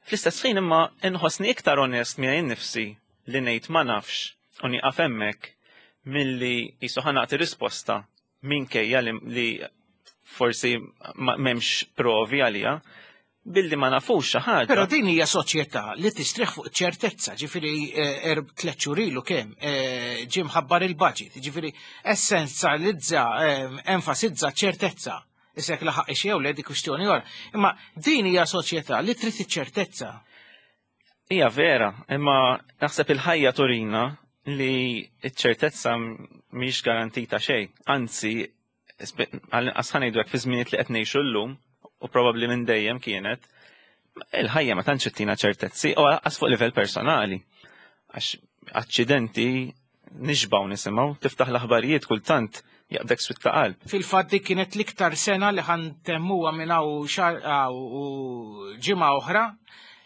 Fl-istess ħin imma inħossni iktar onest miegħi nnifsi li ngħid ma nafx u nieqaf hemmhekk milli qisu ħa nagħti risposta minkejja li, li forsi m'hemmx provi għaliha billi ma nafux xi ħaġa. Però din hija soċjetà li tistrieħ fuq ċertezza, ġifieri eh, erb tliet xhur ilu kemm eh, ġie mħabbar il-budget, ġifieri essenzjalizza, eh, enfasizza ċertezza. Issa jekk laħaq jew le dik kwistjoni oħra. Imma din hija soċjetà li trid iċ-ċertezza. Hija vera, imma naħseb il-ħajja turina li ċ-ċertezza mhix garantita xejn. Anzi, għal-inqas ħa ngħidu hekk fi żminijiet li qed ngħixu llum, u probabbli minn dejjem kienet, il-ħajja ma tantx ittina ċertezzi u għas fuq livell personali. Għax aċċidenti nixbaw nisimgħu, tiftaħ l-aħbarijiet kultant Jaqbdek swied ta' qalb. Fil-fatt dik kienet l-iktar sena li ħa ntemmuha minn hawn xahar u ġimgħa oħra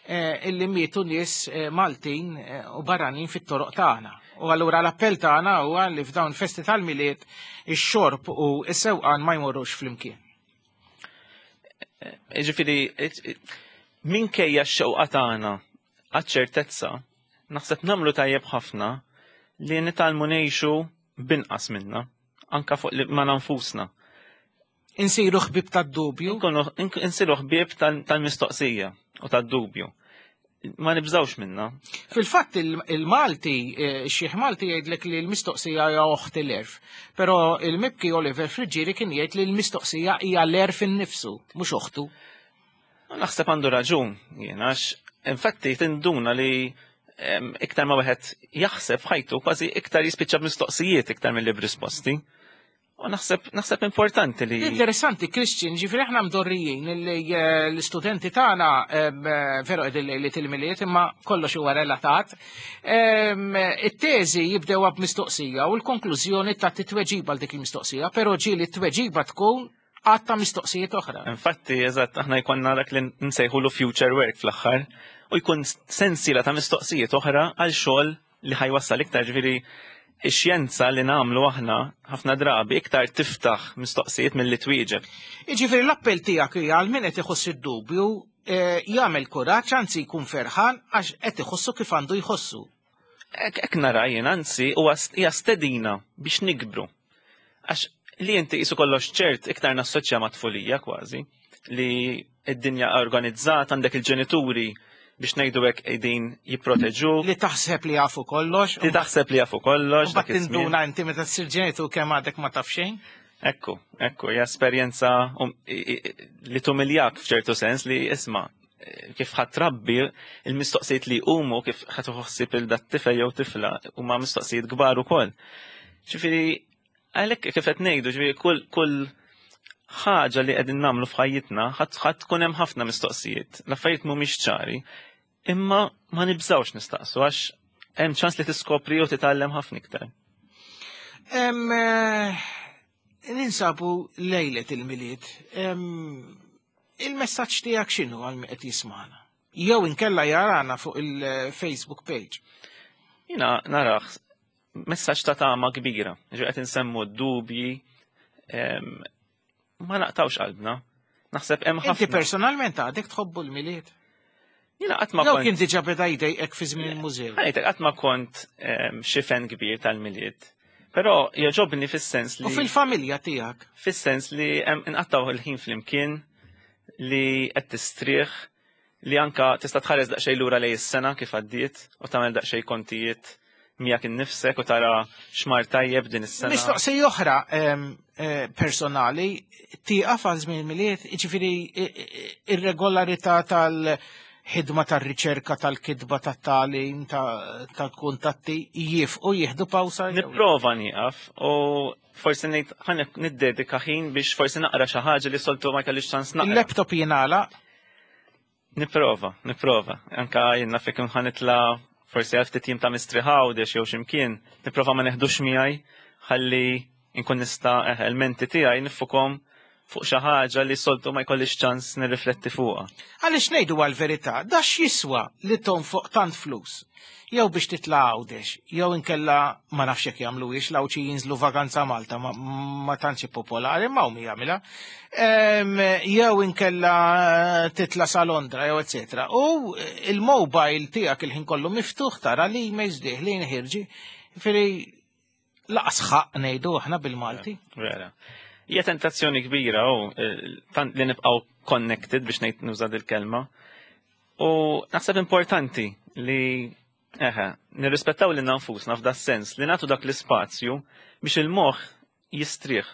eh, illi mietu nies eh, Maltin eh, u barranin fit-toroq tagħna. U allura l-appell tagħna huwa li f'dawn festi tal-Milied ix-xorb u s-sewqan ma jmorrux flimkien. Ġifieri, minkejja x-xewqa tagħna għaċ-ċertezza, naħseb nagħmlu tajjeb ħafna li nitgħallmu ngħixu binqas minna, anka fuq li ma nfusna. Insiru ħbib tad-dubju. Insiru ħbib tal-mistoqsija u tad-dubju. Ma nibżawx minna. Fil-fatt il-Malti, eh, xieħ Malti jgħidlek li l-mistoqsija hija oħt l-erf. Però il-mibki Oliver Friggieri kien jgħid li l-mistoqsija hija l-erf innifsu, mhux oħtu. Naħseb għandu raġun, jien għax infatti tinduna li iktar ma wieħed jaħseb f'ħajtu kważi iktar jispiċċa b'mistoqsijiet iktar milli b'risposti. U naħseb naħseb importanti li. Interessanti, Christian, ġifieri aħna mdorrijin li eh, l-istudenti tagħna eh, veru qegħdin lejliet il-Milied imma kollox huwa relatat. It-teżi jibdewha b'mistoqsija u l-konklużjoni ta' titweġiba għal dik il-mistoqsija, però ġieli t-tweġiba tkun għadd ta' mistoqsijiet oħra. Infatti, eżatt, aħna jkollna dak li nsejħulu future work fl-aħħar u jkun sensiela ta' mistoqsijiet oħra għal xogħol li ħajwassal iktar ġifieri ix-xjenza li nagħmlu aħna ħafna drabi iktar tiftaħ mistoqsijiet milli twieġeb. Jiġifieri l-appell tiegħek hija għal min qed iħoss id-dubju eh, jagħmel kuraġġ anzi jkun ferħan għax qed iħossu kif għandu jħossu. Hekk nara jien anzi huwa hija stedina biex nikbru. Għax li inti qisu kollox ċert iktar nassoċja ma' tfulija kważi li id-dinja organizzata għandek il-ġenituri biex ngħidu hekk qegħdin jipproteġu. Li taħseb li jafu kollox. Li taħseb li jafu kollox. Mbagħad tinduna inti meta tsir ġenitur kemm għadek ma taf xejn. Ekku, ekku, hija esperjenza um, li tumiljak f'ċertu sens li isma' kif ħadd trabbi il-mistoqsijiet li jqumu kif ħadd ħossib il dat tifel jew tifla huma mistoqsijiet kbar ukoll. Ġifieri għalhekk kif qed ngħidu, ġifieri kull kull ħaġa li qegħdin nagħmlu f'ħajjitna ħadd tkun hemm ħafna mistoqsijiet. L-affarijiet mhumiex ċari, imma ma nibżgħux nistaqsu għax hemm ċans li tiskopri u titgħallem ħafna iktar. Eh, ninsabu lejlet il-Milied. Il-messaġġ tiegħek x'inhu għal min qed jismagħna? Jew inkella jarana fuq il-Facebook page. Jina naraħ messaġġ ta' tama kbira, ġi qed insemmu d-dubji, ma naqtawx qalbna. Naħseb hemm ħafna. Inti personalment għadek tħobbu l-Milied? Jiena qatt ma kont. Jew kien diġà beda jdejqek fi żmien il-mużew. Ħajtek qatt ma kont xi fen kbir tal-Milied. Però jogħġobni fis-sens li. U fil-familja tiegħek? Fis-sens li nqattgħu il-ħin flimkien li qed tistrieħ li anka tista' tħares daqsxejn lura lejn is-sena kif għaddiet u tagħmel daqsxejn kontijiet miegħek innifsek u tara x'mar tajjeb din is-sena. Mistoqsija oħra eh, personali, tieqaf għal żmien Milied, jiġifieri ir-regolarità tal-ħidma tar-riċerka tal-kitba tat-tagħlim tal-kuntatti jifqu jieħdu pawsa. Nipprova nieqaf u forsi ngħid ħa niddedika ħin biex forsi naqra xi ħaġa li soltu ma kellix ċans naqra. Il-laptop jingħalaq Nipprova, nipprova. Anka jien naf jekk nitla forsi għal ftit jiem ta' mistrieħ Għawdex jew x'imkien, nipprova ma neħdux miegħi ħalli nkun nista' eh, il-menti tiegħi nifukhom fuq xi ħaġa li soltu ma jkollix ċans nirrifletti fuqha. Għaliex ngħidu għall-verità, da x'jiswa li tonfoq tant flus? Jew biex titla' Għawdex, jew inkella ma nafx jekk jagħmluhiex l-Għawdxi jinżlu vaganza Malta ma, ma tantx popolari ma hawn jagħmilha. Jew inkella titla' sa Londra jew eċetera. U il-mobile tiegħek il-ħin kollu miftuħ tara l-emails dieħlin ħirġi. Ġifieri laqas ħaqq ngħidu aħna bil-Malti. Vera. Hija tentazzjoni kbira u eh, tant li nibqgħu connected biex ngħid nuża dil-kelma. U naħseb importanti li eħe, nirrispettaw lil nfusna f'da sens li nagħtu dak l-ispazju biex il-moħħ jistrieħ.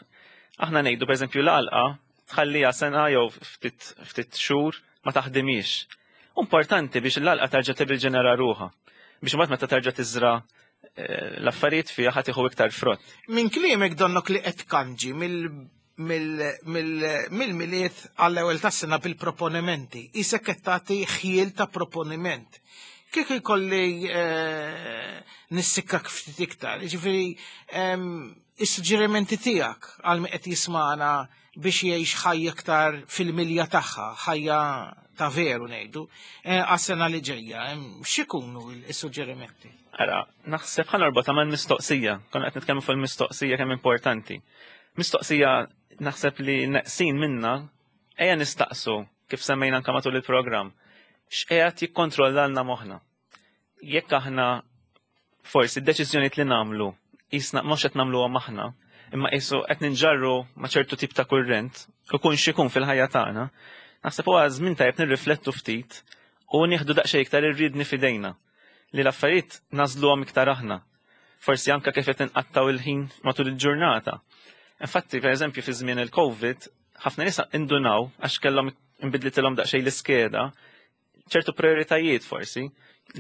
Aħna ngħidu pereżempju l-għalqa tħalliha sena jew ftit ftit xhur ma taħdimix. Importanti biex l-għalqa terġa' tirriġenera ruħha. Biex imbagħad meta terġa' tiżra eh, l-affarijiet fiha ħa tieħu iktar frott. Minn kliemek donnok li qed tkanġi mill-Milied għall-ewwel tas-sena bil-proponimenti. Isek qed tagħti ħjiel ta' proponiment. Kieku jkolli eh, nissikkak ftit iktar, jiġifieri is-suġġerimenti tiegħek għal min qed jismana biex jgħix ħajja iktar fil-milja tagħha, ħajja ta' veru ngħidu, eh, għas-sena li ġejja, x'ikunu s-suġġerimenti? Ara, naħseb ħa norbotha mal-mistoqsija, konna qed nitkellmu fuq il-mistoqsija kemm importanti. Mistoqsija naħseb li neqsin minna, ejja nistaqsu kif semmejna anka matul il-programm, x'qiegħed jikkontrollalna moħħna. Jekk aħna forsi d-deċiżjonijiet li nagħmlu jisna mhux qed nagħmluhom aħna, imma qisu qed ninġarru ma' ċertu tip ta' kurrent, ikun x'ikun fil-ħajja tagħna, naħseb huwa żmien tajjeb nirriflettu ftit u nieħdu daqsxejn iktar ir-riedni f'idejna li l-affarijiet nagħżluhom iktar aħna. Forsi anka kif qed inqattgħu il-ħin matul il-ġurnata. Infatti, per eżempju, fi żmien il-COVID, ħafna nies indunaw għax kellhom inbidlitilhom daqsxejn l-iskeda, ċertu prioritajiet forsi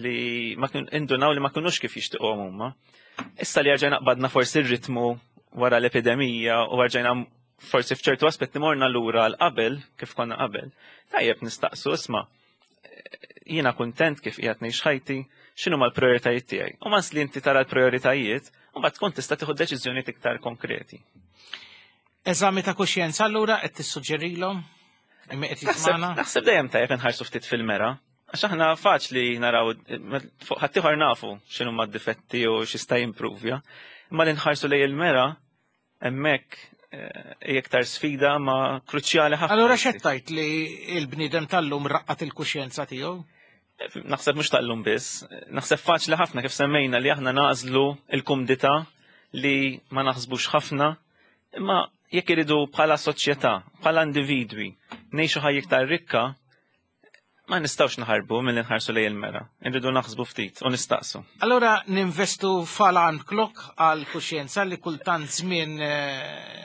li ma kien indunaw li ma kinux kif jixtiequhom huma. Issa li rġajna qbadna forsi r-ritmu wara l-epidemija u rġajna forsi f'ċertu aspetti morna lura għal qabel kif konna qabel. Tajjeb nistaqsu isma' jiena kuntent kif qiegħed ngħix ħajti, x'inhu mal-prioritajiet tiegħi. U mas li inti tara l-prioritajiet, u mbagħad tkun tista' tieħu deċiżjonijiet iktar konkreti. Eżami ta' kuxjenza allura qed tissuġġerilhom? Imma qed jismana? Naħseb dejjem tajjeb inħarsu ftit fil-mera. Għax aħna faċli naraw fuq ħaddieħor nafu x'inhu ma difetti u x'jista' jimpruvja. Imma li nħarsu lej il-mera hemmhekk eh, hija iktar sfida ma kruċjali ħafna. Allura x'qed tgħid li l-bniedem tal-lum raqqat il-kuxjenza tiegħu? Naħseb mhux tal-lum biss, naħseb faċli ħafna kif semmejna li aħna nagħżlu l-kumdità li ma naħsbux ħafna, imma jekk iridu bħala soċjetà, bħala individwi, ngħixu ħajja iktar rikka, ma nistgħux naħarbu milli nħarsu lejn il-mera. Irridu naħsbu ftit u nistaqsu. Allura ninvestu f'alarm clock għal kuxjenza li kultant żmien eh,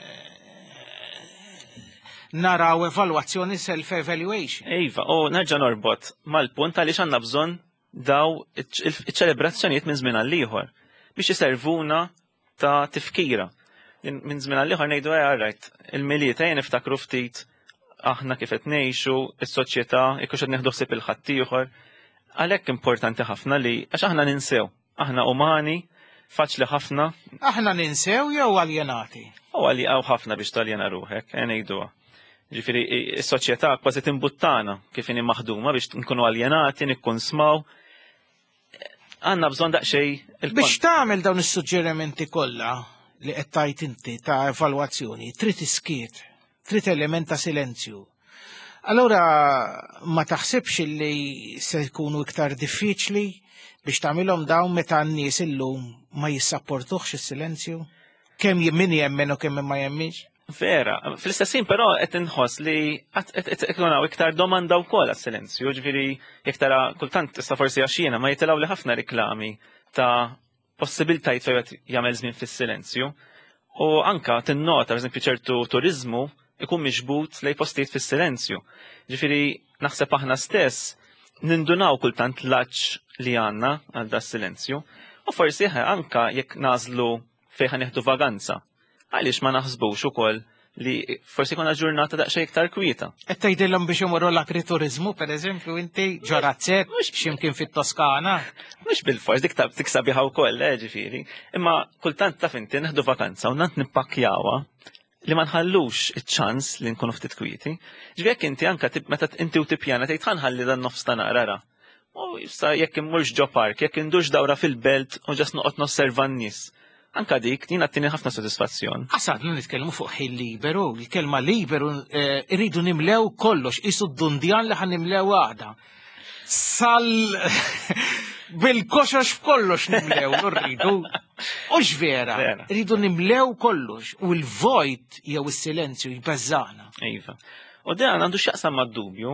naraw evalwazzjoni self-evaluation. Iva, u nerġa' norbot mal-punt għaliex għandna bżonn daw iċ-ċelebrazzjonijiet minn żmien għal ieħor biex iservuna ta' tifkira. Minn żmien għal ieħor ngħidu eh, right, il-Milied ejja niftakru ftit aħna kif qed ngħixu, is-soċjetà, jekk qed nieħdu ħsieb il-ħaddieħor. Għalhekk importanti ħafna li għax aħna ninsew, aħna umani, faċli ħafna. Aħna ninsew jew aljenati? U għalli għaw ħafna biex taljena ruħek, eh, ngħiduha. Ġifieri is-soċjetà kważi timbuttana kif inhi maħduma biex nkunu aljenati, nikkunsmaw. Għandna bżonn daqsxejn Biex tagħmel dawn is-suġġerimenti kollha li qed tajt inti ta' evalwazzjoni, trid iskiet, trid element ta' silenzju. Allura ma taħsibx li se jkunu iktar diffiċli biex tagħmilhom dawn meta n-nies illum ma jissapportuhx is-silenzju? Kemm min jemmen u kemm ma jemminx? Vera, fl-istess ħin però qed inħoss li qed ikun hawn iktar domanda wkoll għas-silenzju, ġifieri jekk tara kultant issa forsi għax jiena ma jitilgħu li ħafna riklami ta' possibiltajiet fejn wieħed jagħmel żmien fis-silenzju. U anka tinnota, pereżempju, ċertu turiżmu ikun miġbud lej postijiet fis-silenzju. Ġifieri naħseb aħna stess nindunaw kultant l-għatx li għandna għal da silenzju. U forsi anka jekk nażlu fejn ħa nieħdu vaganza. Għaliex ma naħsbux ukoll li forsi konna ġurnata daqsxejn iktar kwieta. Qed tgħidilhom biex imorru l-agrituriżmu, pereżempju, inti ġorazzett x'imkien fit-Toskana. Mhux bil-fors dik dik sabiħa wkoll, eh, ġifieri. Imma kultant taf inti neħdu vakanza u nant nippakkjawha li ma nħallux iċ-ċans li nkunu ftit kwieti. Ġifieri jekk inti anka meta inti u tippjana tgħid ħanħalli dan nofs ta' naqra. U issa jekk immurx ġo park, jekk indux dawra fil-belt u ġas noqgħod nosserva n-nies. Anka dik, jien għattini ħafna sodisfazzjon. Għasadna nitkellmu fuq ħin liberu, il-kelma liberu eh, irridu nimlew kollox, isu d-dundjan li ħan nimlew għada. Sal bil-koxox f'kollox nimlew, rridu. U vera, rridu nimlew kollox u l-vojt jew is-silenzju jbeżżana. Iva. U dan għandu x'jaqsam mad-dubju,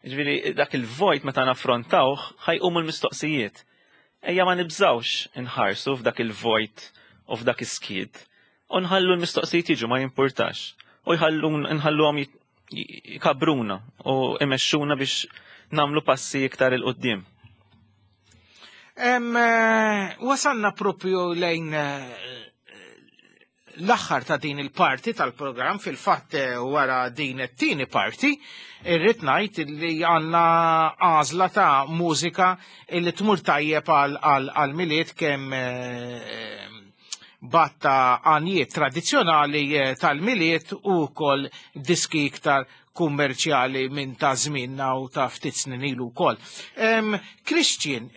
ġifieri dak il-vojt meta naffrontawh ħajqumu l-mistoqsijiet. Ejja ma nibżgħux inħarsu f'dak il-vojt u f'dak is-skiet u nħallu l-mistoqsijiet jiġu ma jimpurtax u jħallu nħalluhom jkabruna u imexxuna biex nagħmlu passi iktar 'il quddiem. Eh, wasalna propju lejn eh, l-aħħar ta' din il-parti tal-programm fil-fatt eh, wara din it-tieni parti irrid ngħid li għandna għażla ta' mużika li tmur tajjeb għal milied kemm eh, batta għanjiet tradizzjonali eh, tal-milied u wkoll diski iktar kummerċjali minn ta' żmienna u ta' ftit snin ilu wkoll. Christian,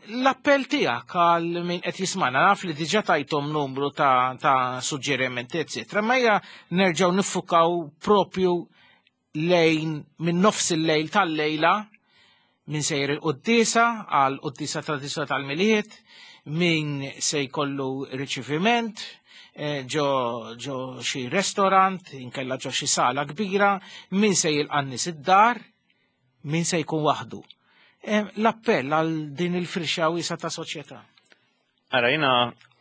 l-appell tiegħek għal min qed jismana naf li diġà tajthom numru ta', ta suġġerimenti, eccetera, ma hija nerġgħu niffukaw propju lejn minn nofs il-lejl tal-lejla min sejjer il-quddisa għal quddisa tradizzjonali tal-Milied, min se jkollu riċiviment eh, ġo ġo xi restorant, inkella ġo xi sala kbira, min se jilqa' nies id-dar, min se jkun waħdu. Eh, l-appell għal din il-firxa wiesa ta' soċjetà. Ara jina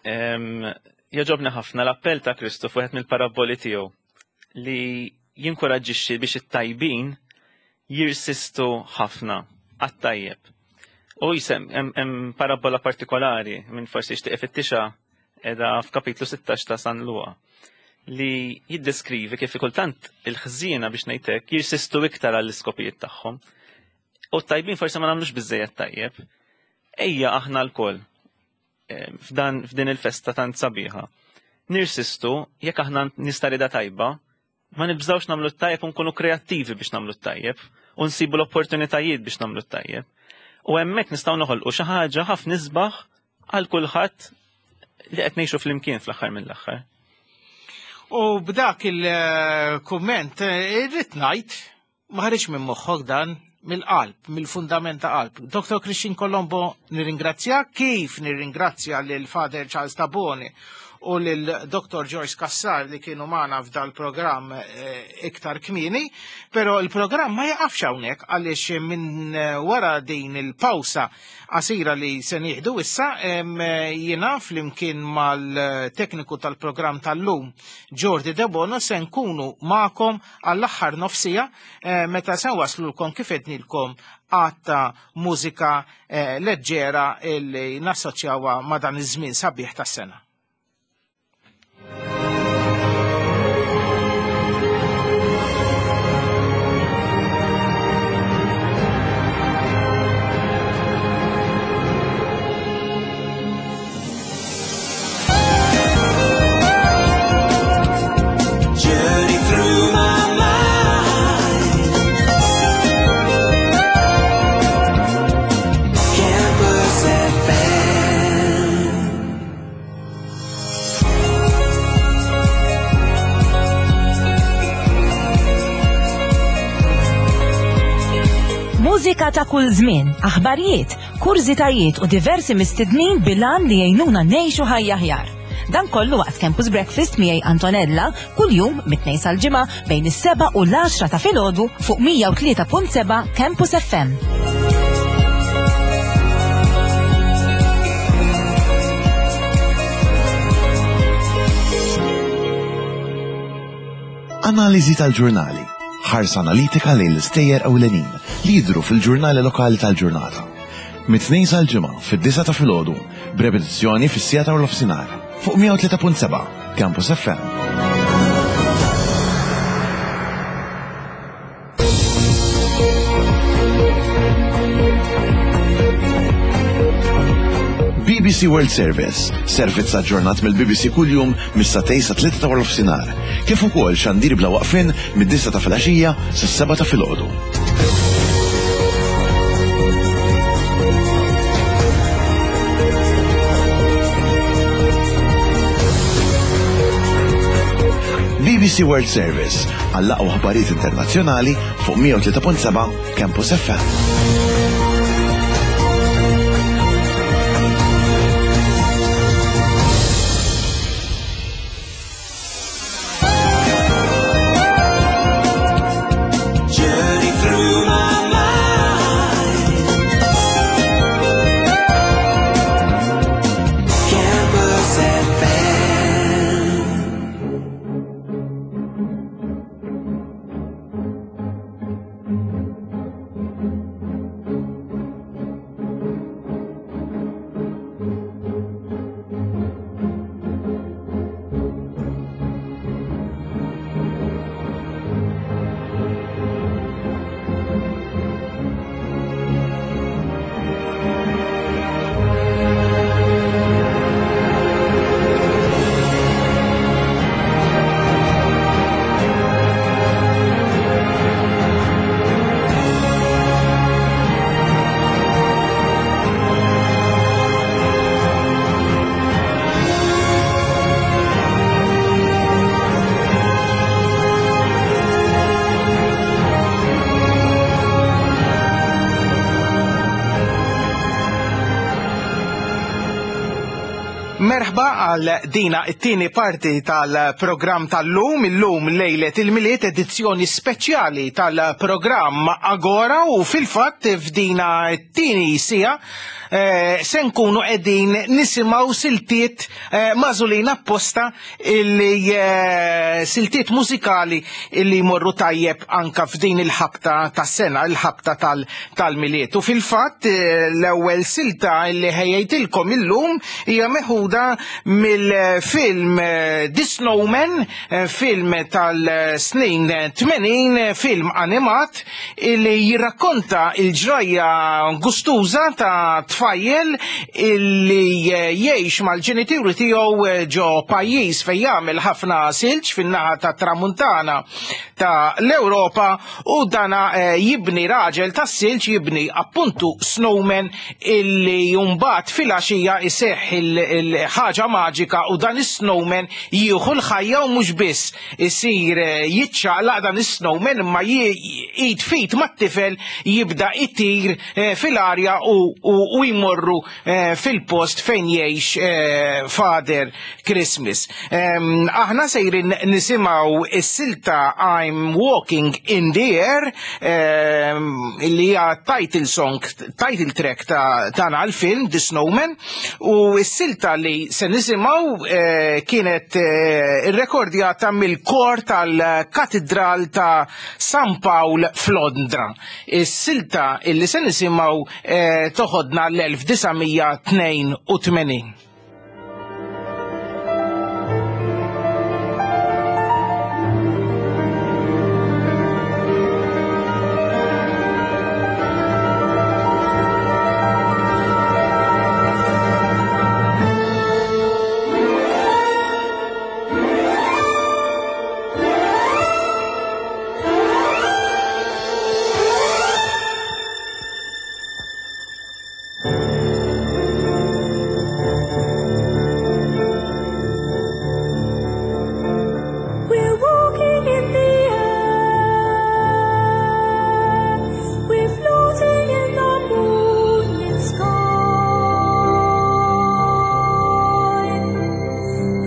jogħġobni ħafna l-appell ta' Kristu fuq mill-parabboli tiegħu li jinkoraġġixxi biex it-tajbin jirsistu ħafna għat-tajjeb. U jisem hemm parabbola partikolari minn forsi jixtieq ifittixha edha f'kapitlu 16 ta' San Luqa li jiddeskrivi kif kultant il-ħżiena biex ngħidlek jirsistu iktar għall-iskopijiet tagħhom. U t-tajbin forsi ma nagħmlux biżejjed tajjeb. Ejja aħna lkoll eh, f'dan f'din il-festa tant sabiħa. Nirsistu jekk aħna nista' rida tajba, ma nibżawx nagħmlu t-tajjeb u nkunu kreattivi biex nagħmlu t-tajjeb u nsibu l-opportunitajiet biex nagħmlu t-tajjeb. U hemmhekk nistgħu noħolqu xi ħaġa ħafna isbaħ għal kulħadd li qed ngħixu flimkien fl-aħħar mill-aħħar. U b'dak il-kumment eh, irrid ngħid ma ħareġ minn moħħok dan mill-qalb, mill-fundament ta' qalb. Dr. Christian Colombo nirringrazzja, kif nirringrazzja lil Father Charles Tabone u lil Dr. Joyce Cassar li kienu magħna f'dal programm eh, iktar kmieni, però il-programm ma jaqafx hawnhekk għaliex minn eh, wara din il-pawsa qasira li se nieħdu issa eh, jiena flimkien mal-tekniku tal-programm tal-lum Jordi Debono se nkunu magħkom għall-aħħar nofsija eh, meta se waslulkom kif ednilkom għatta mużika eh, leġġera li nassoċjawha ma' dan iż-żmien sabiħ tas-sena. Journey through my mind. Campus FM. Mużika ta' kull żmien, aħbarijiet, kurżitajiet u diversi mistednin bil-għan li jgħinuna ngħixu ħajja aħjar. Dan kollu waqt Campus Breakfast miegħi Antonella kuljum mit-tnejn sal-ġimgħa bejn is-7 u l-10 ta' filgħodu fuq 103.7 Campus FM. Analiżi tal-ġurnali. Ħarsa analitika lejn l-istejjer ewlenin li jidhru fil-ġurnali lokali tal-ġurnata. Mit-tnejn sal-ġimgħa fid-9 ta' filgħodu, b'repetizzjoni fis-siegħa ta' nofsinhar fuq 103.7 Campus FM. BBC World Service, servizz aġġornat mill-BBC kuljum mis-satej sa 3 ta' nofsinhar, kif ukoll xandir bla waqfien mid-9 ta' filgħaxija sas-7 ta' filgħodu. BBC World Service għall-aqwa aħbarijiet internazzjonali fuq 103.7 Campus FM. Journey through my mind. Campus FM. Merħba għal dina it-tieni parti tal-programm tal-lum, illum lejlet il-Milied edizzjoni speċjali tal-programm Agora u fil-fatt f'dina it-tieni sija eh, se nkunu qegħdin nisimgħu siltiet eh, magħżulin apposta illi eh, siltiet mużikali illi jmorru tajjeb anka f'din il-ħabta tas-sena, il-ħabta tal-Milied. U fil-fatt eh, l-ewwel silta illi ħejjejtilkom illum hija meħuda mill-film eh, The Snowman, film tal-snin 80, film animat illi jirrakkonta il-ġrajja gustuża ta' tfajjel illi jgħix mal-ġenituri tiegħu ġo pajjiż fejn jagħmel ħafna silġ fin-naħa tat-tramuntana ta' l-Ewropa u dana eh, jibni raġel tas-silġ jibni appuntu snowman illi mbagħad filgħaxija iseħħ il-ħaġa maġika u dan is-snowman jieħu l-ħajja u mhux biss isir eh, jiċċaqlaq dan is-snowman imma id fit mat-tifel jibda itir eh, fil-arja u jmorru eh, fil-post fejn jgħix Father Christmas. Aħna sejrin nisimgħu is-silta I'm Walking in the Air li hija title song, title track ta' dan għal-film The Snowman u s-silta li se nisimgħu eh, kienet eh, irrekordjata mill-kor tal-Katedral ta' San Pawl f'Londra. Is-silta illi se nisimgħu eh, toħodna l-1982. We're walking in the air. We're floating in the moonlit sky.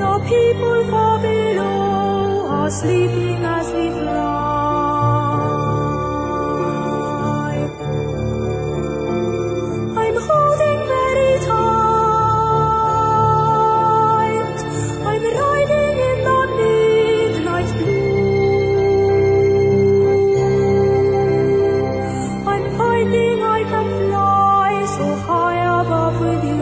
The people far below are sleeping as we fly. I'm holding very tight. I'm riding in the midnight blue. I'm finding I can fly so high above with you.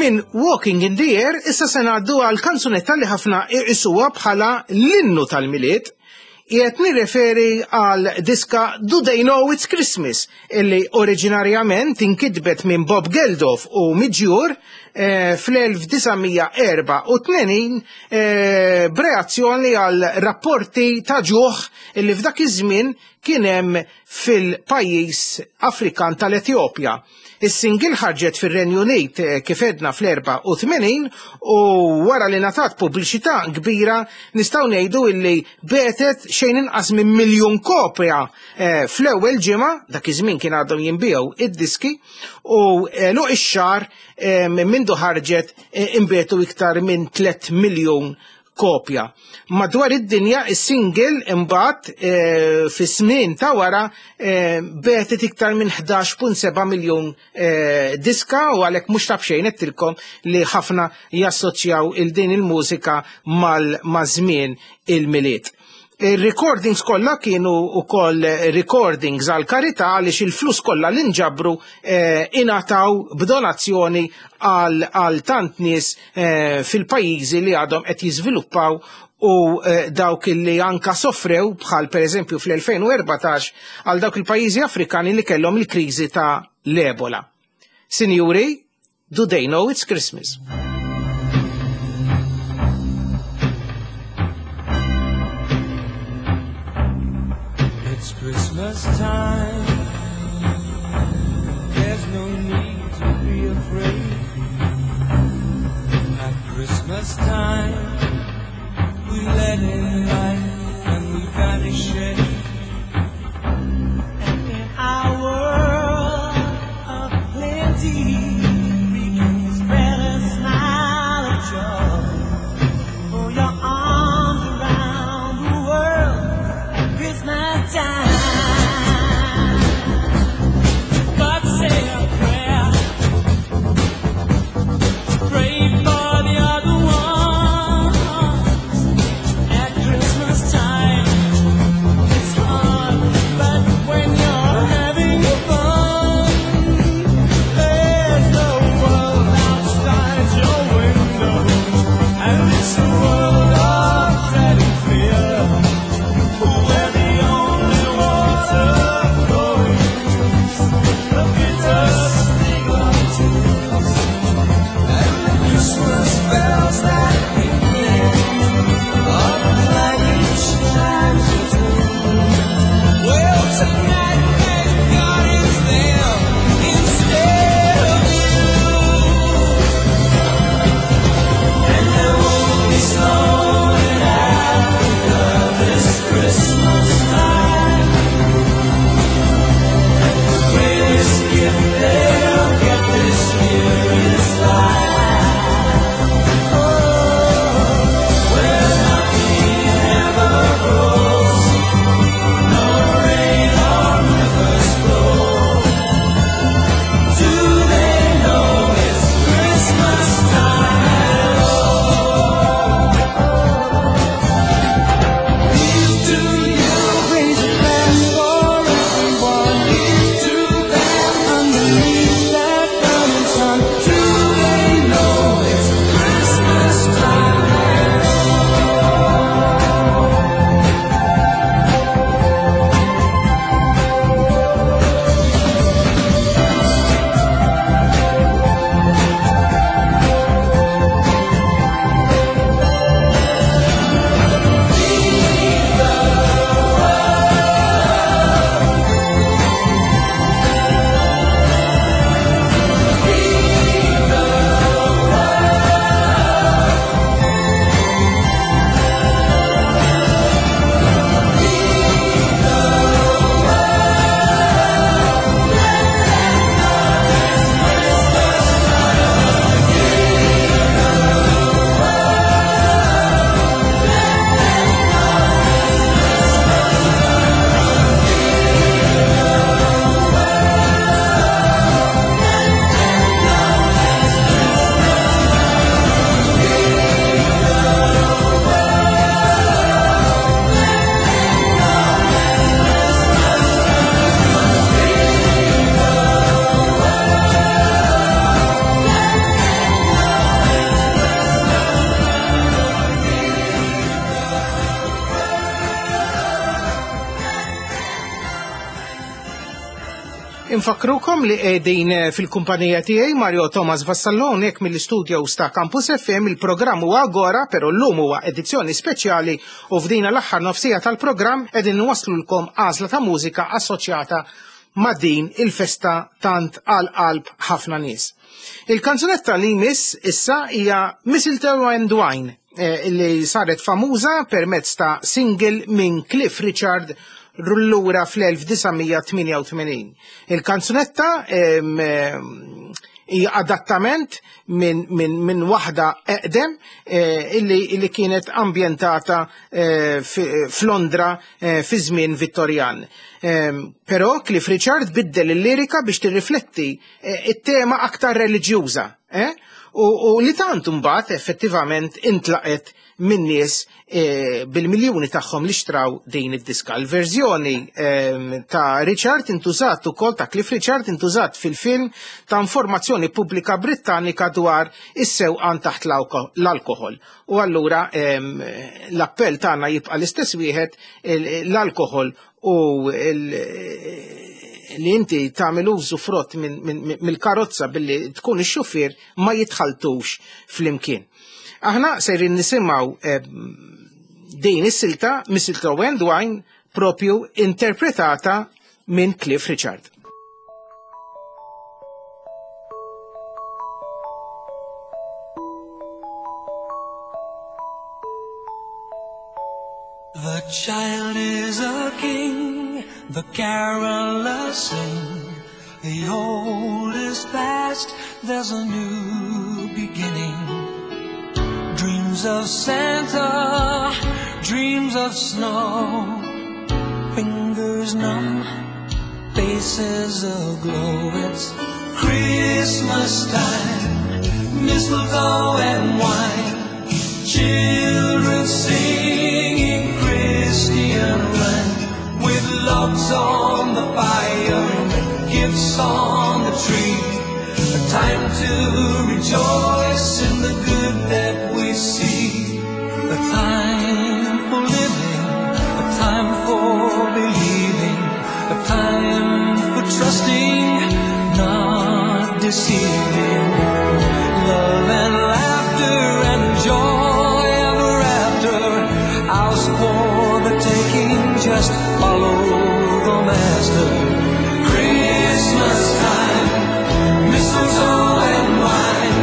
Minn Walking in the Air issa se ngħaddu għal kanzunetta li ħafna iqisuha bħala l-innu tal-Milied. Qiegħed nirreferi għal diska Do They Know It's Christmas illi oriġinarjament inkitbet minn Bob Geldof u Midge Ure fl-1984 b'reazzjoni għal rapporti ta' ġuħ illi f'dak iż-żmien kien hemm fil-pajjiż Afrikan tal-Etjopja. Is-single ħarġet fir-Renju Unit eh, kif edna fl-84 u wara li ngħatat pubbliċità kbira nistgħu ngħidu illi betet xejn inqas minn miljun kopja eh, fl-ewwel ġimgħa, dak iż-żmien kien għadhom jinbiegħu id-diski u eh, luq ix-xahar minn mindu ħarġet inbietu iktar minn 3 miljun kopja. Madwar id-dinja is-single imbagħad eh, fis-snin ta' wara eh, betet iktar minn 11.7 miljun eh, diska u għalhekk mhux ta' b'xejn qedtilkom li ħafna jassoċjaw il din il-mużika mal-żmien il-Milied. Ir-recordings kollha kienu wkoll recordings għal karità għaliex il-flus kollha li nġabru eh, ingħataw b'donazzjoni għal tant nies eh, fil-pajjiżi li għadhom qed jiżviluppaw u eh, dawk li anka sofrew bħal pereżempju fl-2014 għal dawk il-pajjiżi Afrikani li kellhom il-kriżi ta' l-Ebola. Sinjuri, Do they know it's Christmas? It's Christmas time. There's no need to be afraid. At Christmas time, we let in light and we banish shade. And in our world of plenty, we can spread a smile of joy. Throw your arms around the world at Christmas time. But say a prayer. Pray for the other ones at Christmas. Infakkrukom li qegħdin fil-kumpanija tiegħi Mario Thomas Vassallo hawnhekk mill-istudios ta' Campus FM. Il-programm huwa Agora, però llum huwa edizzjoni speċjali u f'dina l-aħħar nofsija tal-programm qegħdin nwasslulkom għażla ta' mużika assoċjata ma' din il-festa tant għal qalb ħafna nies. Il-kanzunetta li jmiss issa hija Mistletoe and Wine li saret famuża permezz ta' single minn Cliff Richard lura fl-1988. Il-kanzunetta hija adattament minn waħda eqdem illi kienet ambjentata f'Londra fi żmien Vittorjan. Però Cliff Richard biddel il-lirika biex tirrifletti it-tema aktar reliġjuża, u li tant imbagħad effettivament intlaqet minn nies bil-miljuni tagħhom li xtraw din id-diska. Il-verżjoni ta' Richard intużat ukoll, ta' Cliff Richard intużat fil-film ta' informazzjoni pubblika Brittanika dwar is-sewqan taħt l-alkoħol. U allura l-appell tagħna jibqa' l-istess wieħed, l-alkoħol u li inti tagħmel użu frott mill-karozza billi tkun ix-xufier ma jitħaltux flimkien. Aħna sejrin nisimgħu din is-silta Mistletoe and Wine propju interpretata minn Cliff Richard. The child is a king, the carolers sing. The old is past, there's a new beginning. Dreams of Santa, dreams of snow. Fingers numb, faces aglow. It's Christmas time, mistletoe and wine. Children singing Christian rhyme. With logs on the fire, gifts on the tree. A time to rejoice in the good that we see. A time for living, a time for believing, a time for trusting, not deceiving. Love and laughter and joy ever after. Ours for the taking, just follow the master. Christmas time, mistletoe and wine.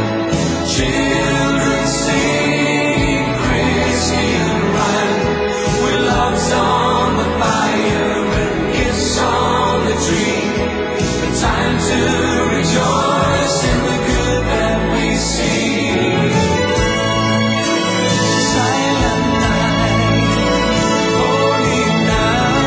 Children singing Christian rhyme. With logs on the fire and gifts on the tree. A time to rejoice in the good that we see. Silent night, holy night.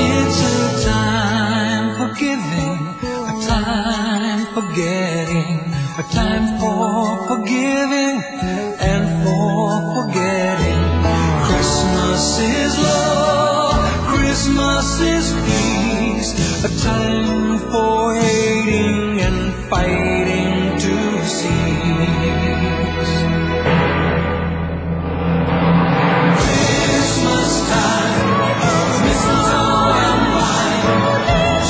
It's a time for giving, a time for getting, a time for forgiving and for forgetting. Christmas is love, Christmas is peace, a time for hating and fighting to cease. Christmas time, mistletoe and wine,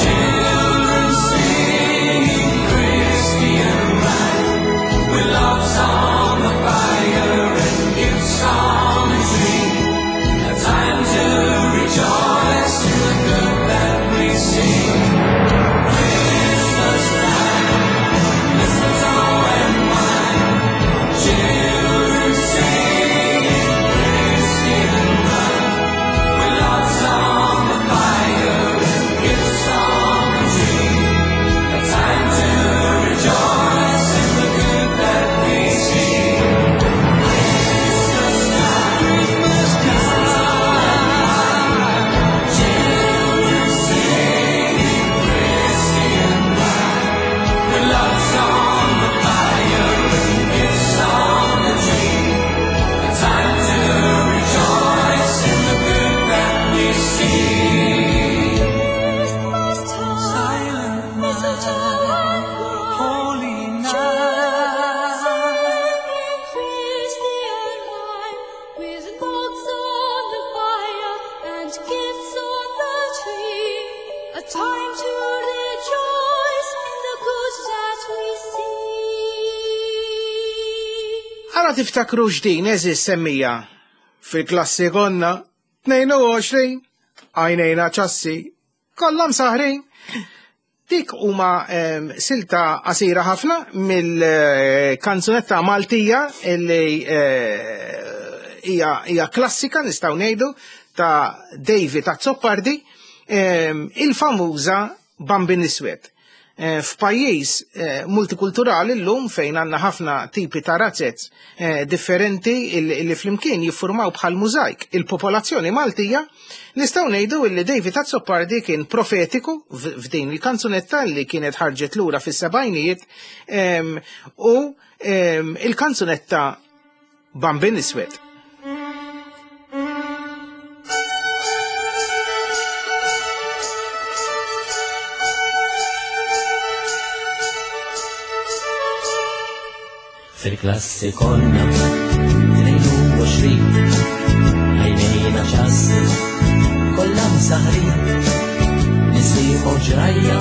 children singing Christian rhyme. With logs on the fire and gifts on the tree, a time to rejoice in the good that we see. Christmas time, Time to rejoice in the good that we see. Ara tiftakru x'din eżis semmija. Fil-klassi konna 22 għajnejna ċassi kollha msaħrin. Dik huma silta qasira ħafna mill-kanzunetta Maltija li hija klassika nistgħu ngħidu ta' David Azzopardi, il-famuża Bambin Iswed. F'pajjiż multikulturali llum fejn għandna ħafna tipi ta' razzez differenti li flimkien jiffurmaw bħal mużajk il-popolazzjoni Maltija, nistgħu ngħidu li David Azzopardi kien profetiku f'din il-kanzunetta li kienet ħarġet lura fis-sebgħinijiet u il-kanzunetta Bambin Iswed. Fil-klassi konna 22 għajnejna ċassi kollha msaħrin nisieħu ġrajja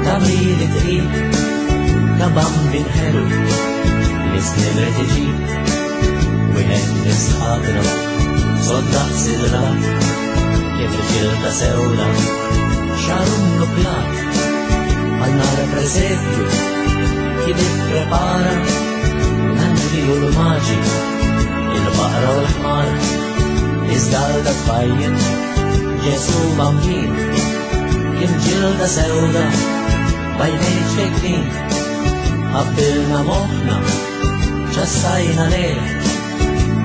ta' mili tqil ta' bambin ħelu li snin rid iġib wieħed nisħabna soddaq sidra li fil-ġilda sewda xaru nuklat għal nara presepju kien ipprepara l-anġli u l-maġi il-baqra u l-ħmar iżda għal dak tfajjel Ġesu bambin kien ġilda sewda bajnejn ċkejknin ħabbilna moħħna ċassajna lejh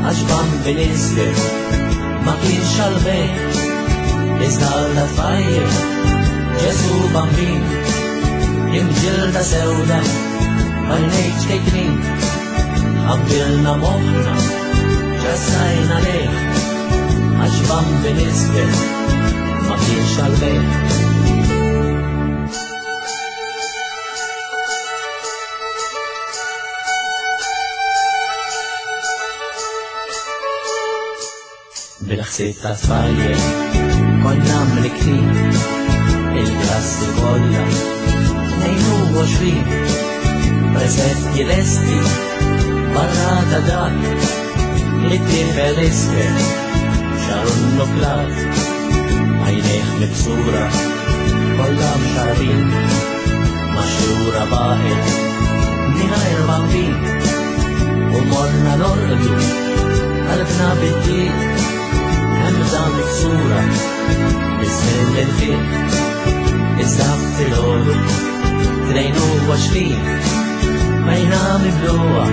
għax bambin iswed ma kienx għal-bejħ iżda għal dak tfajjel Ġesu bambin kien ġilda sewda bajnejn ċkejknin ħabbilna moħħna ċassajna lejh għax bambin iswed ma kienx għal-bejħ. Bil-ħsieb ta' tfajjel konna mliktin il-klassi kollha 22 presetti lesti barra ta' dak li tifel iswed xaru nnuklat għajnejh miksura kollha mxarbin maxxura baqgħet mingħajr bambin u morna norqdu qalbna bid-dieq hemża miksura biż-żmien li nfiq iżda filgħodu 22 għajna mibluha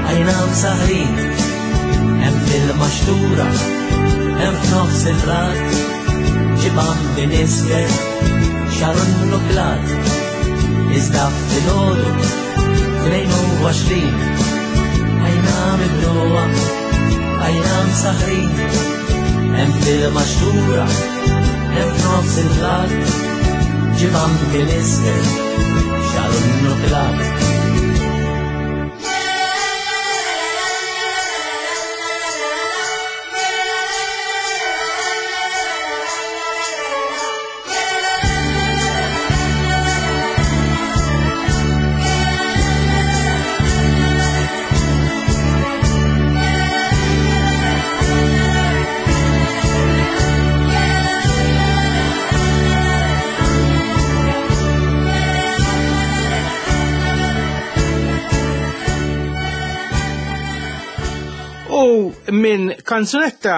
għajna msaħrin hemm fil-maxtura hemm f'nofs il-blat ġie bambin iswed xaru nnuklat iżda filgħodu 22 għajna mibluha għajna msaħrin hemm fil-maxtura hemm f'nofs il-blat ġie bambin iswed xaru nnuklat. U minn kanzunetta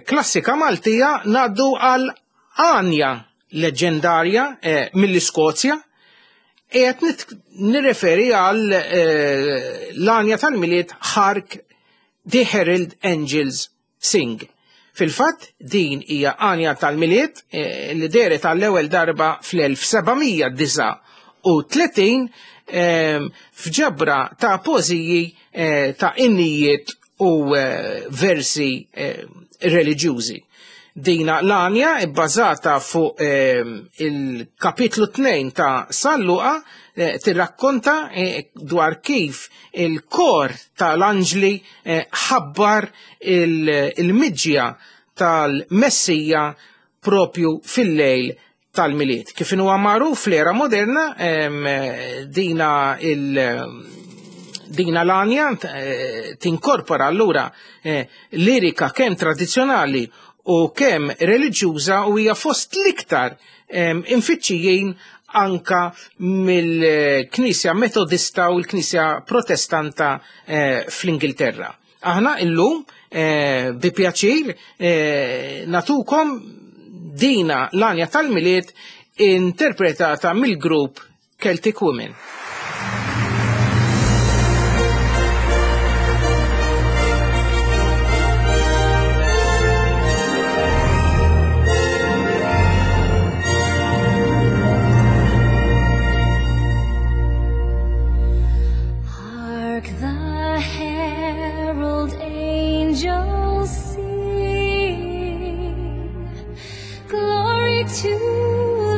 klassika Maltija ngħaddu għal għanja leġendarja mill-Iskozja. Qiegħed nirreferi għal l-għanja tal-Milied Hark the Herald Angels Sing. Fil-fatt din hija għanja tal-Milied li dehret għall-ewwel darba fl-1739 f'ġabra ta' poeżiji ta' innijiet u versi reliġjużi. Dina l-għanja bbażata fuq il-kapitlu 2 ta' San Luqa tirrakkonta dwar kif il-kor tal-anġli ħabbar il-miġja tal-Messija propju fil-lejl tal-Milied. Kif inhuwa magħruf fl-era moderna dina il dina l-għanja tinkorpora allura lirika kemm tradizzjonali u kemm reliġjuża u hija fost l-iktar imfittxijin anka mill-Knisja Metodista u l-Knisja Protestanta fl-Ingilterra. Aħna illum bi pjaċir natukom dina l-għanja tal-Milied interpretata mill-grupp Celtic Women. Hark the herald angels sing, glory to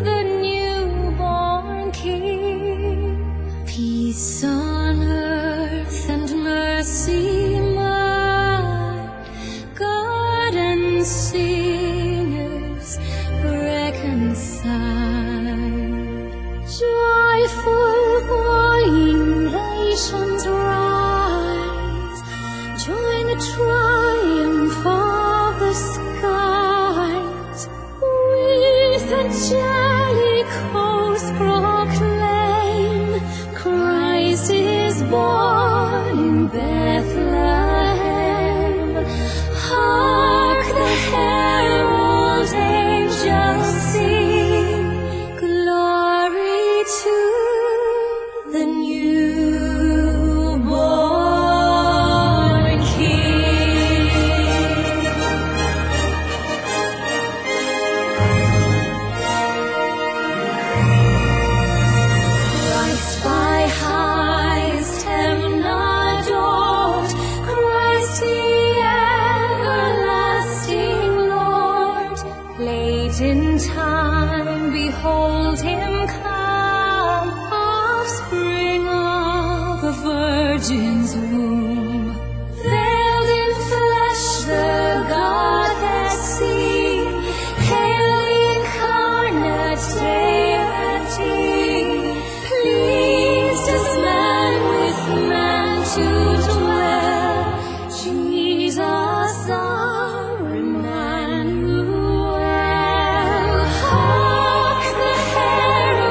the newborn King. Peace on earth and mercy mild, God and sinners reconciled. Joyful voying nations rise, join the triumph of the skies. With angelic hosts proclaim, Christ is born in Bethlehem. Hark the herald angels sing, glory to the newborn King. Christ by highest heaven adored, Christ the everlasting Lord. Late in time, behold him come, offspring of a virgin's womb. Veiled in flesh, the Godhead seen, hail the incarnate deity. Pleased as man with man to dwell, Jesus our Emmanuel. Hark the herald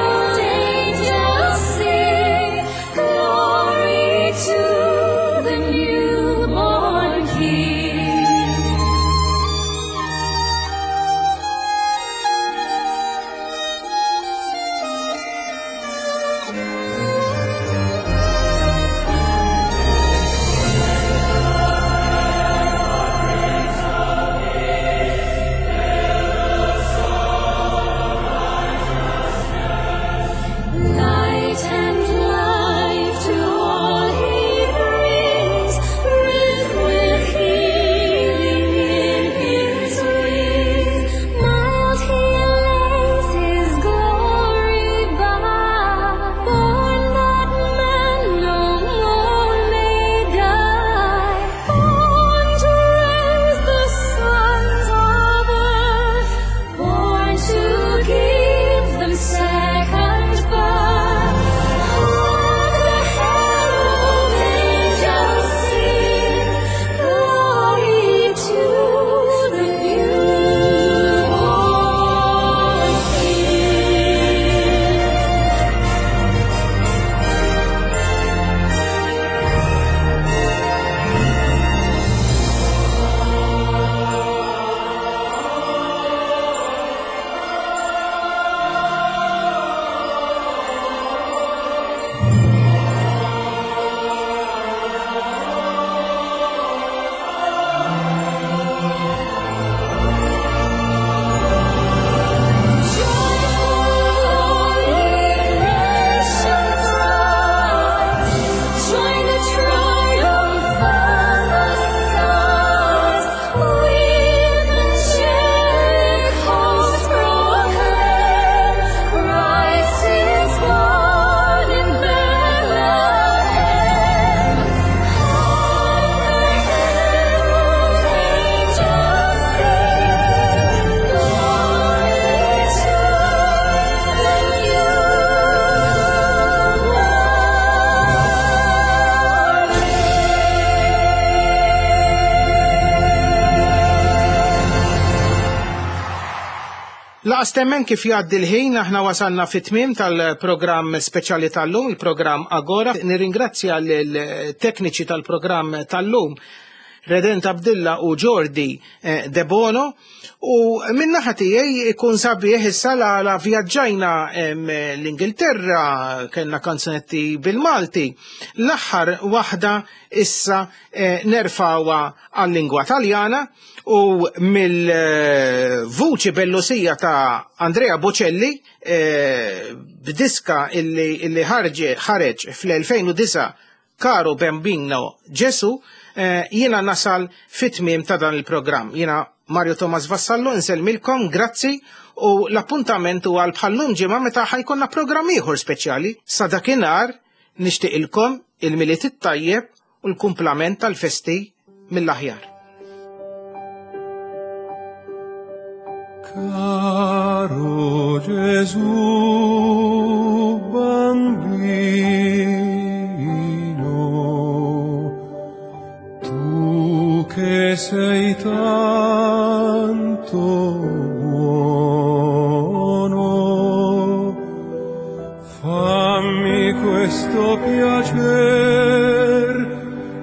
Laqas temmen kif jgħaddi l-ħin aħna wasalna fit-tmiem tal-programm speċjali tal-lum, il-programm Agora. Nirringrazzja l-tekniċi tal-programm tal-lum, Redent Abdilla u Jordi eh, De Bono. U minnaħa tiegħi ikun sabiħ issa la, la vjaġġajna l-Ingilterra, kellna kanzunetti bil-Malti. L-aħħar waħda issa eh, nerfawa għal-lingwa Taljana u mill-vuċi bellusija ta' Andrea Bocelli eh, b'diska illi ħareġ fl-2009 Caro Bambino Ġesu, eh, jiena nasal fit-tmiem ta' dan il-programm. Jiena Mario Thomas Vassallo insellmilkom, grazzi u l-appuntament huwa għal bħallum ġimgħa meta ħajkonna programm ieħor speċjali. Sa dakinhar nixtieqilkom il-Milied it-tajjeb u l-kumplament tal-festi mill-aħjar. Caro Gesù bambino, tu che sei tanto buono, fammi questo piacer,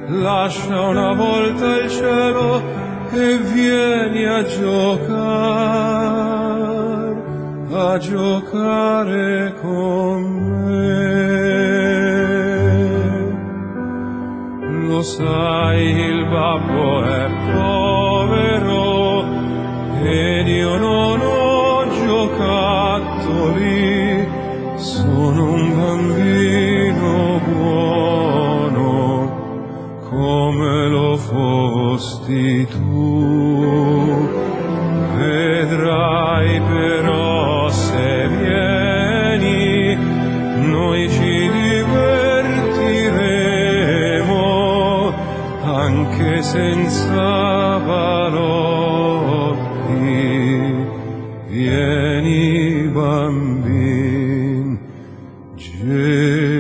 lascia una volta il cielo e vieni a giocar, a giocare con me. Lo sai, il babbo è povero ed io non ho giocattoli, sono un bambino buono come lo fosti tu. Vedrai però se vieni, noi ci divertiremo anche senza balocchi. Vieni bambin Gesù.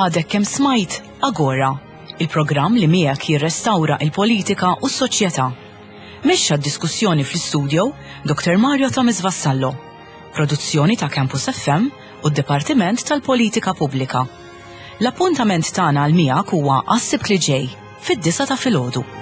Għadek kemm smajt Agora, il-programm li miegħek jirrestawra il-politika u s-soċjetà. Mexxa d-diskussjoni fl-istudio Dr. Mario Thomas Vassallo. Produzzjoni ta' Campus FM u d-Dipartiment tal-Politika Pubblika. L-appuntament tagħna għal miegħek huwa għas-Sibt li ġej, fid-disgħa ta' filgħodu.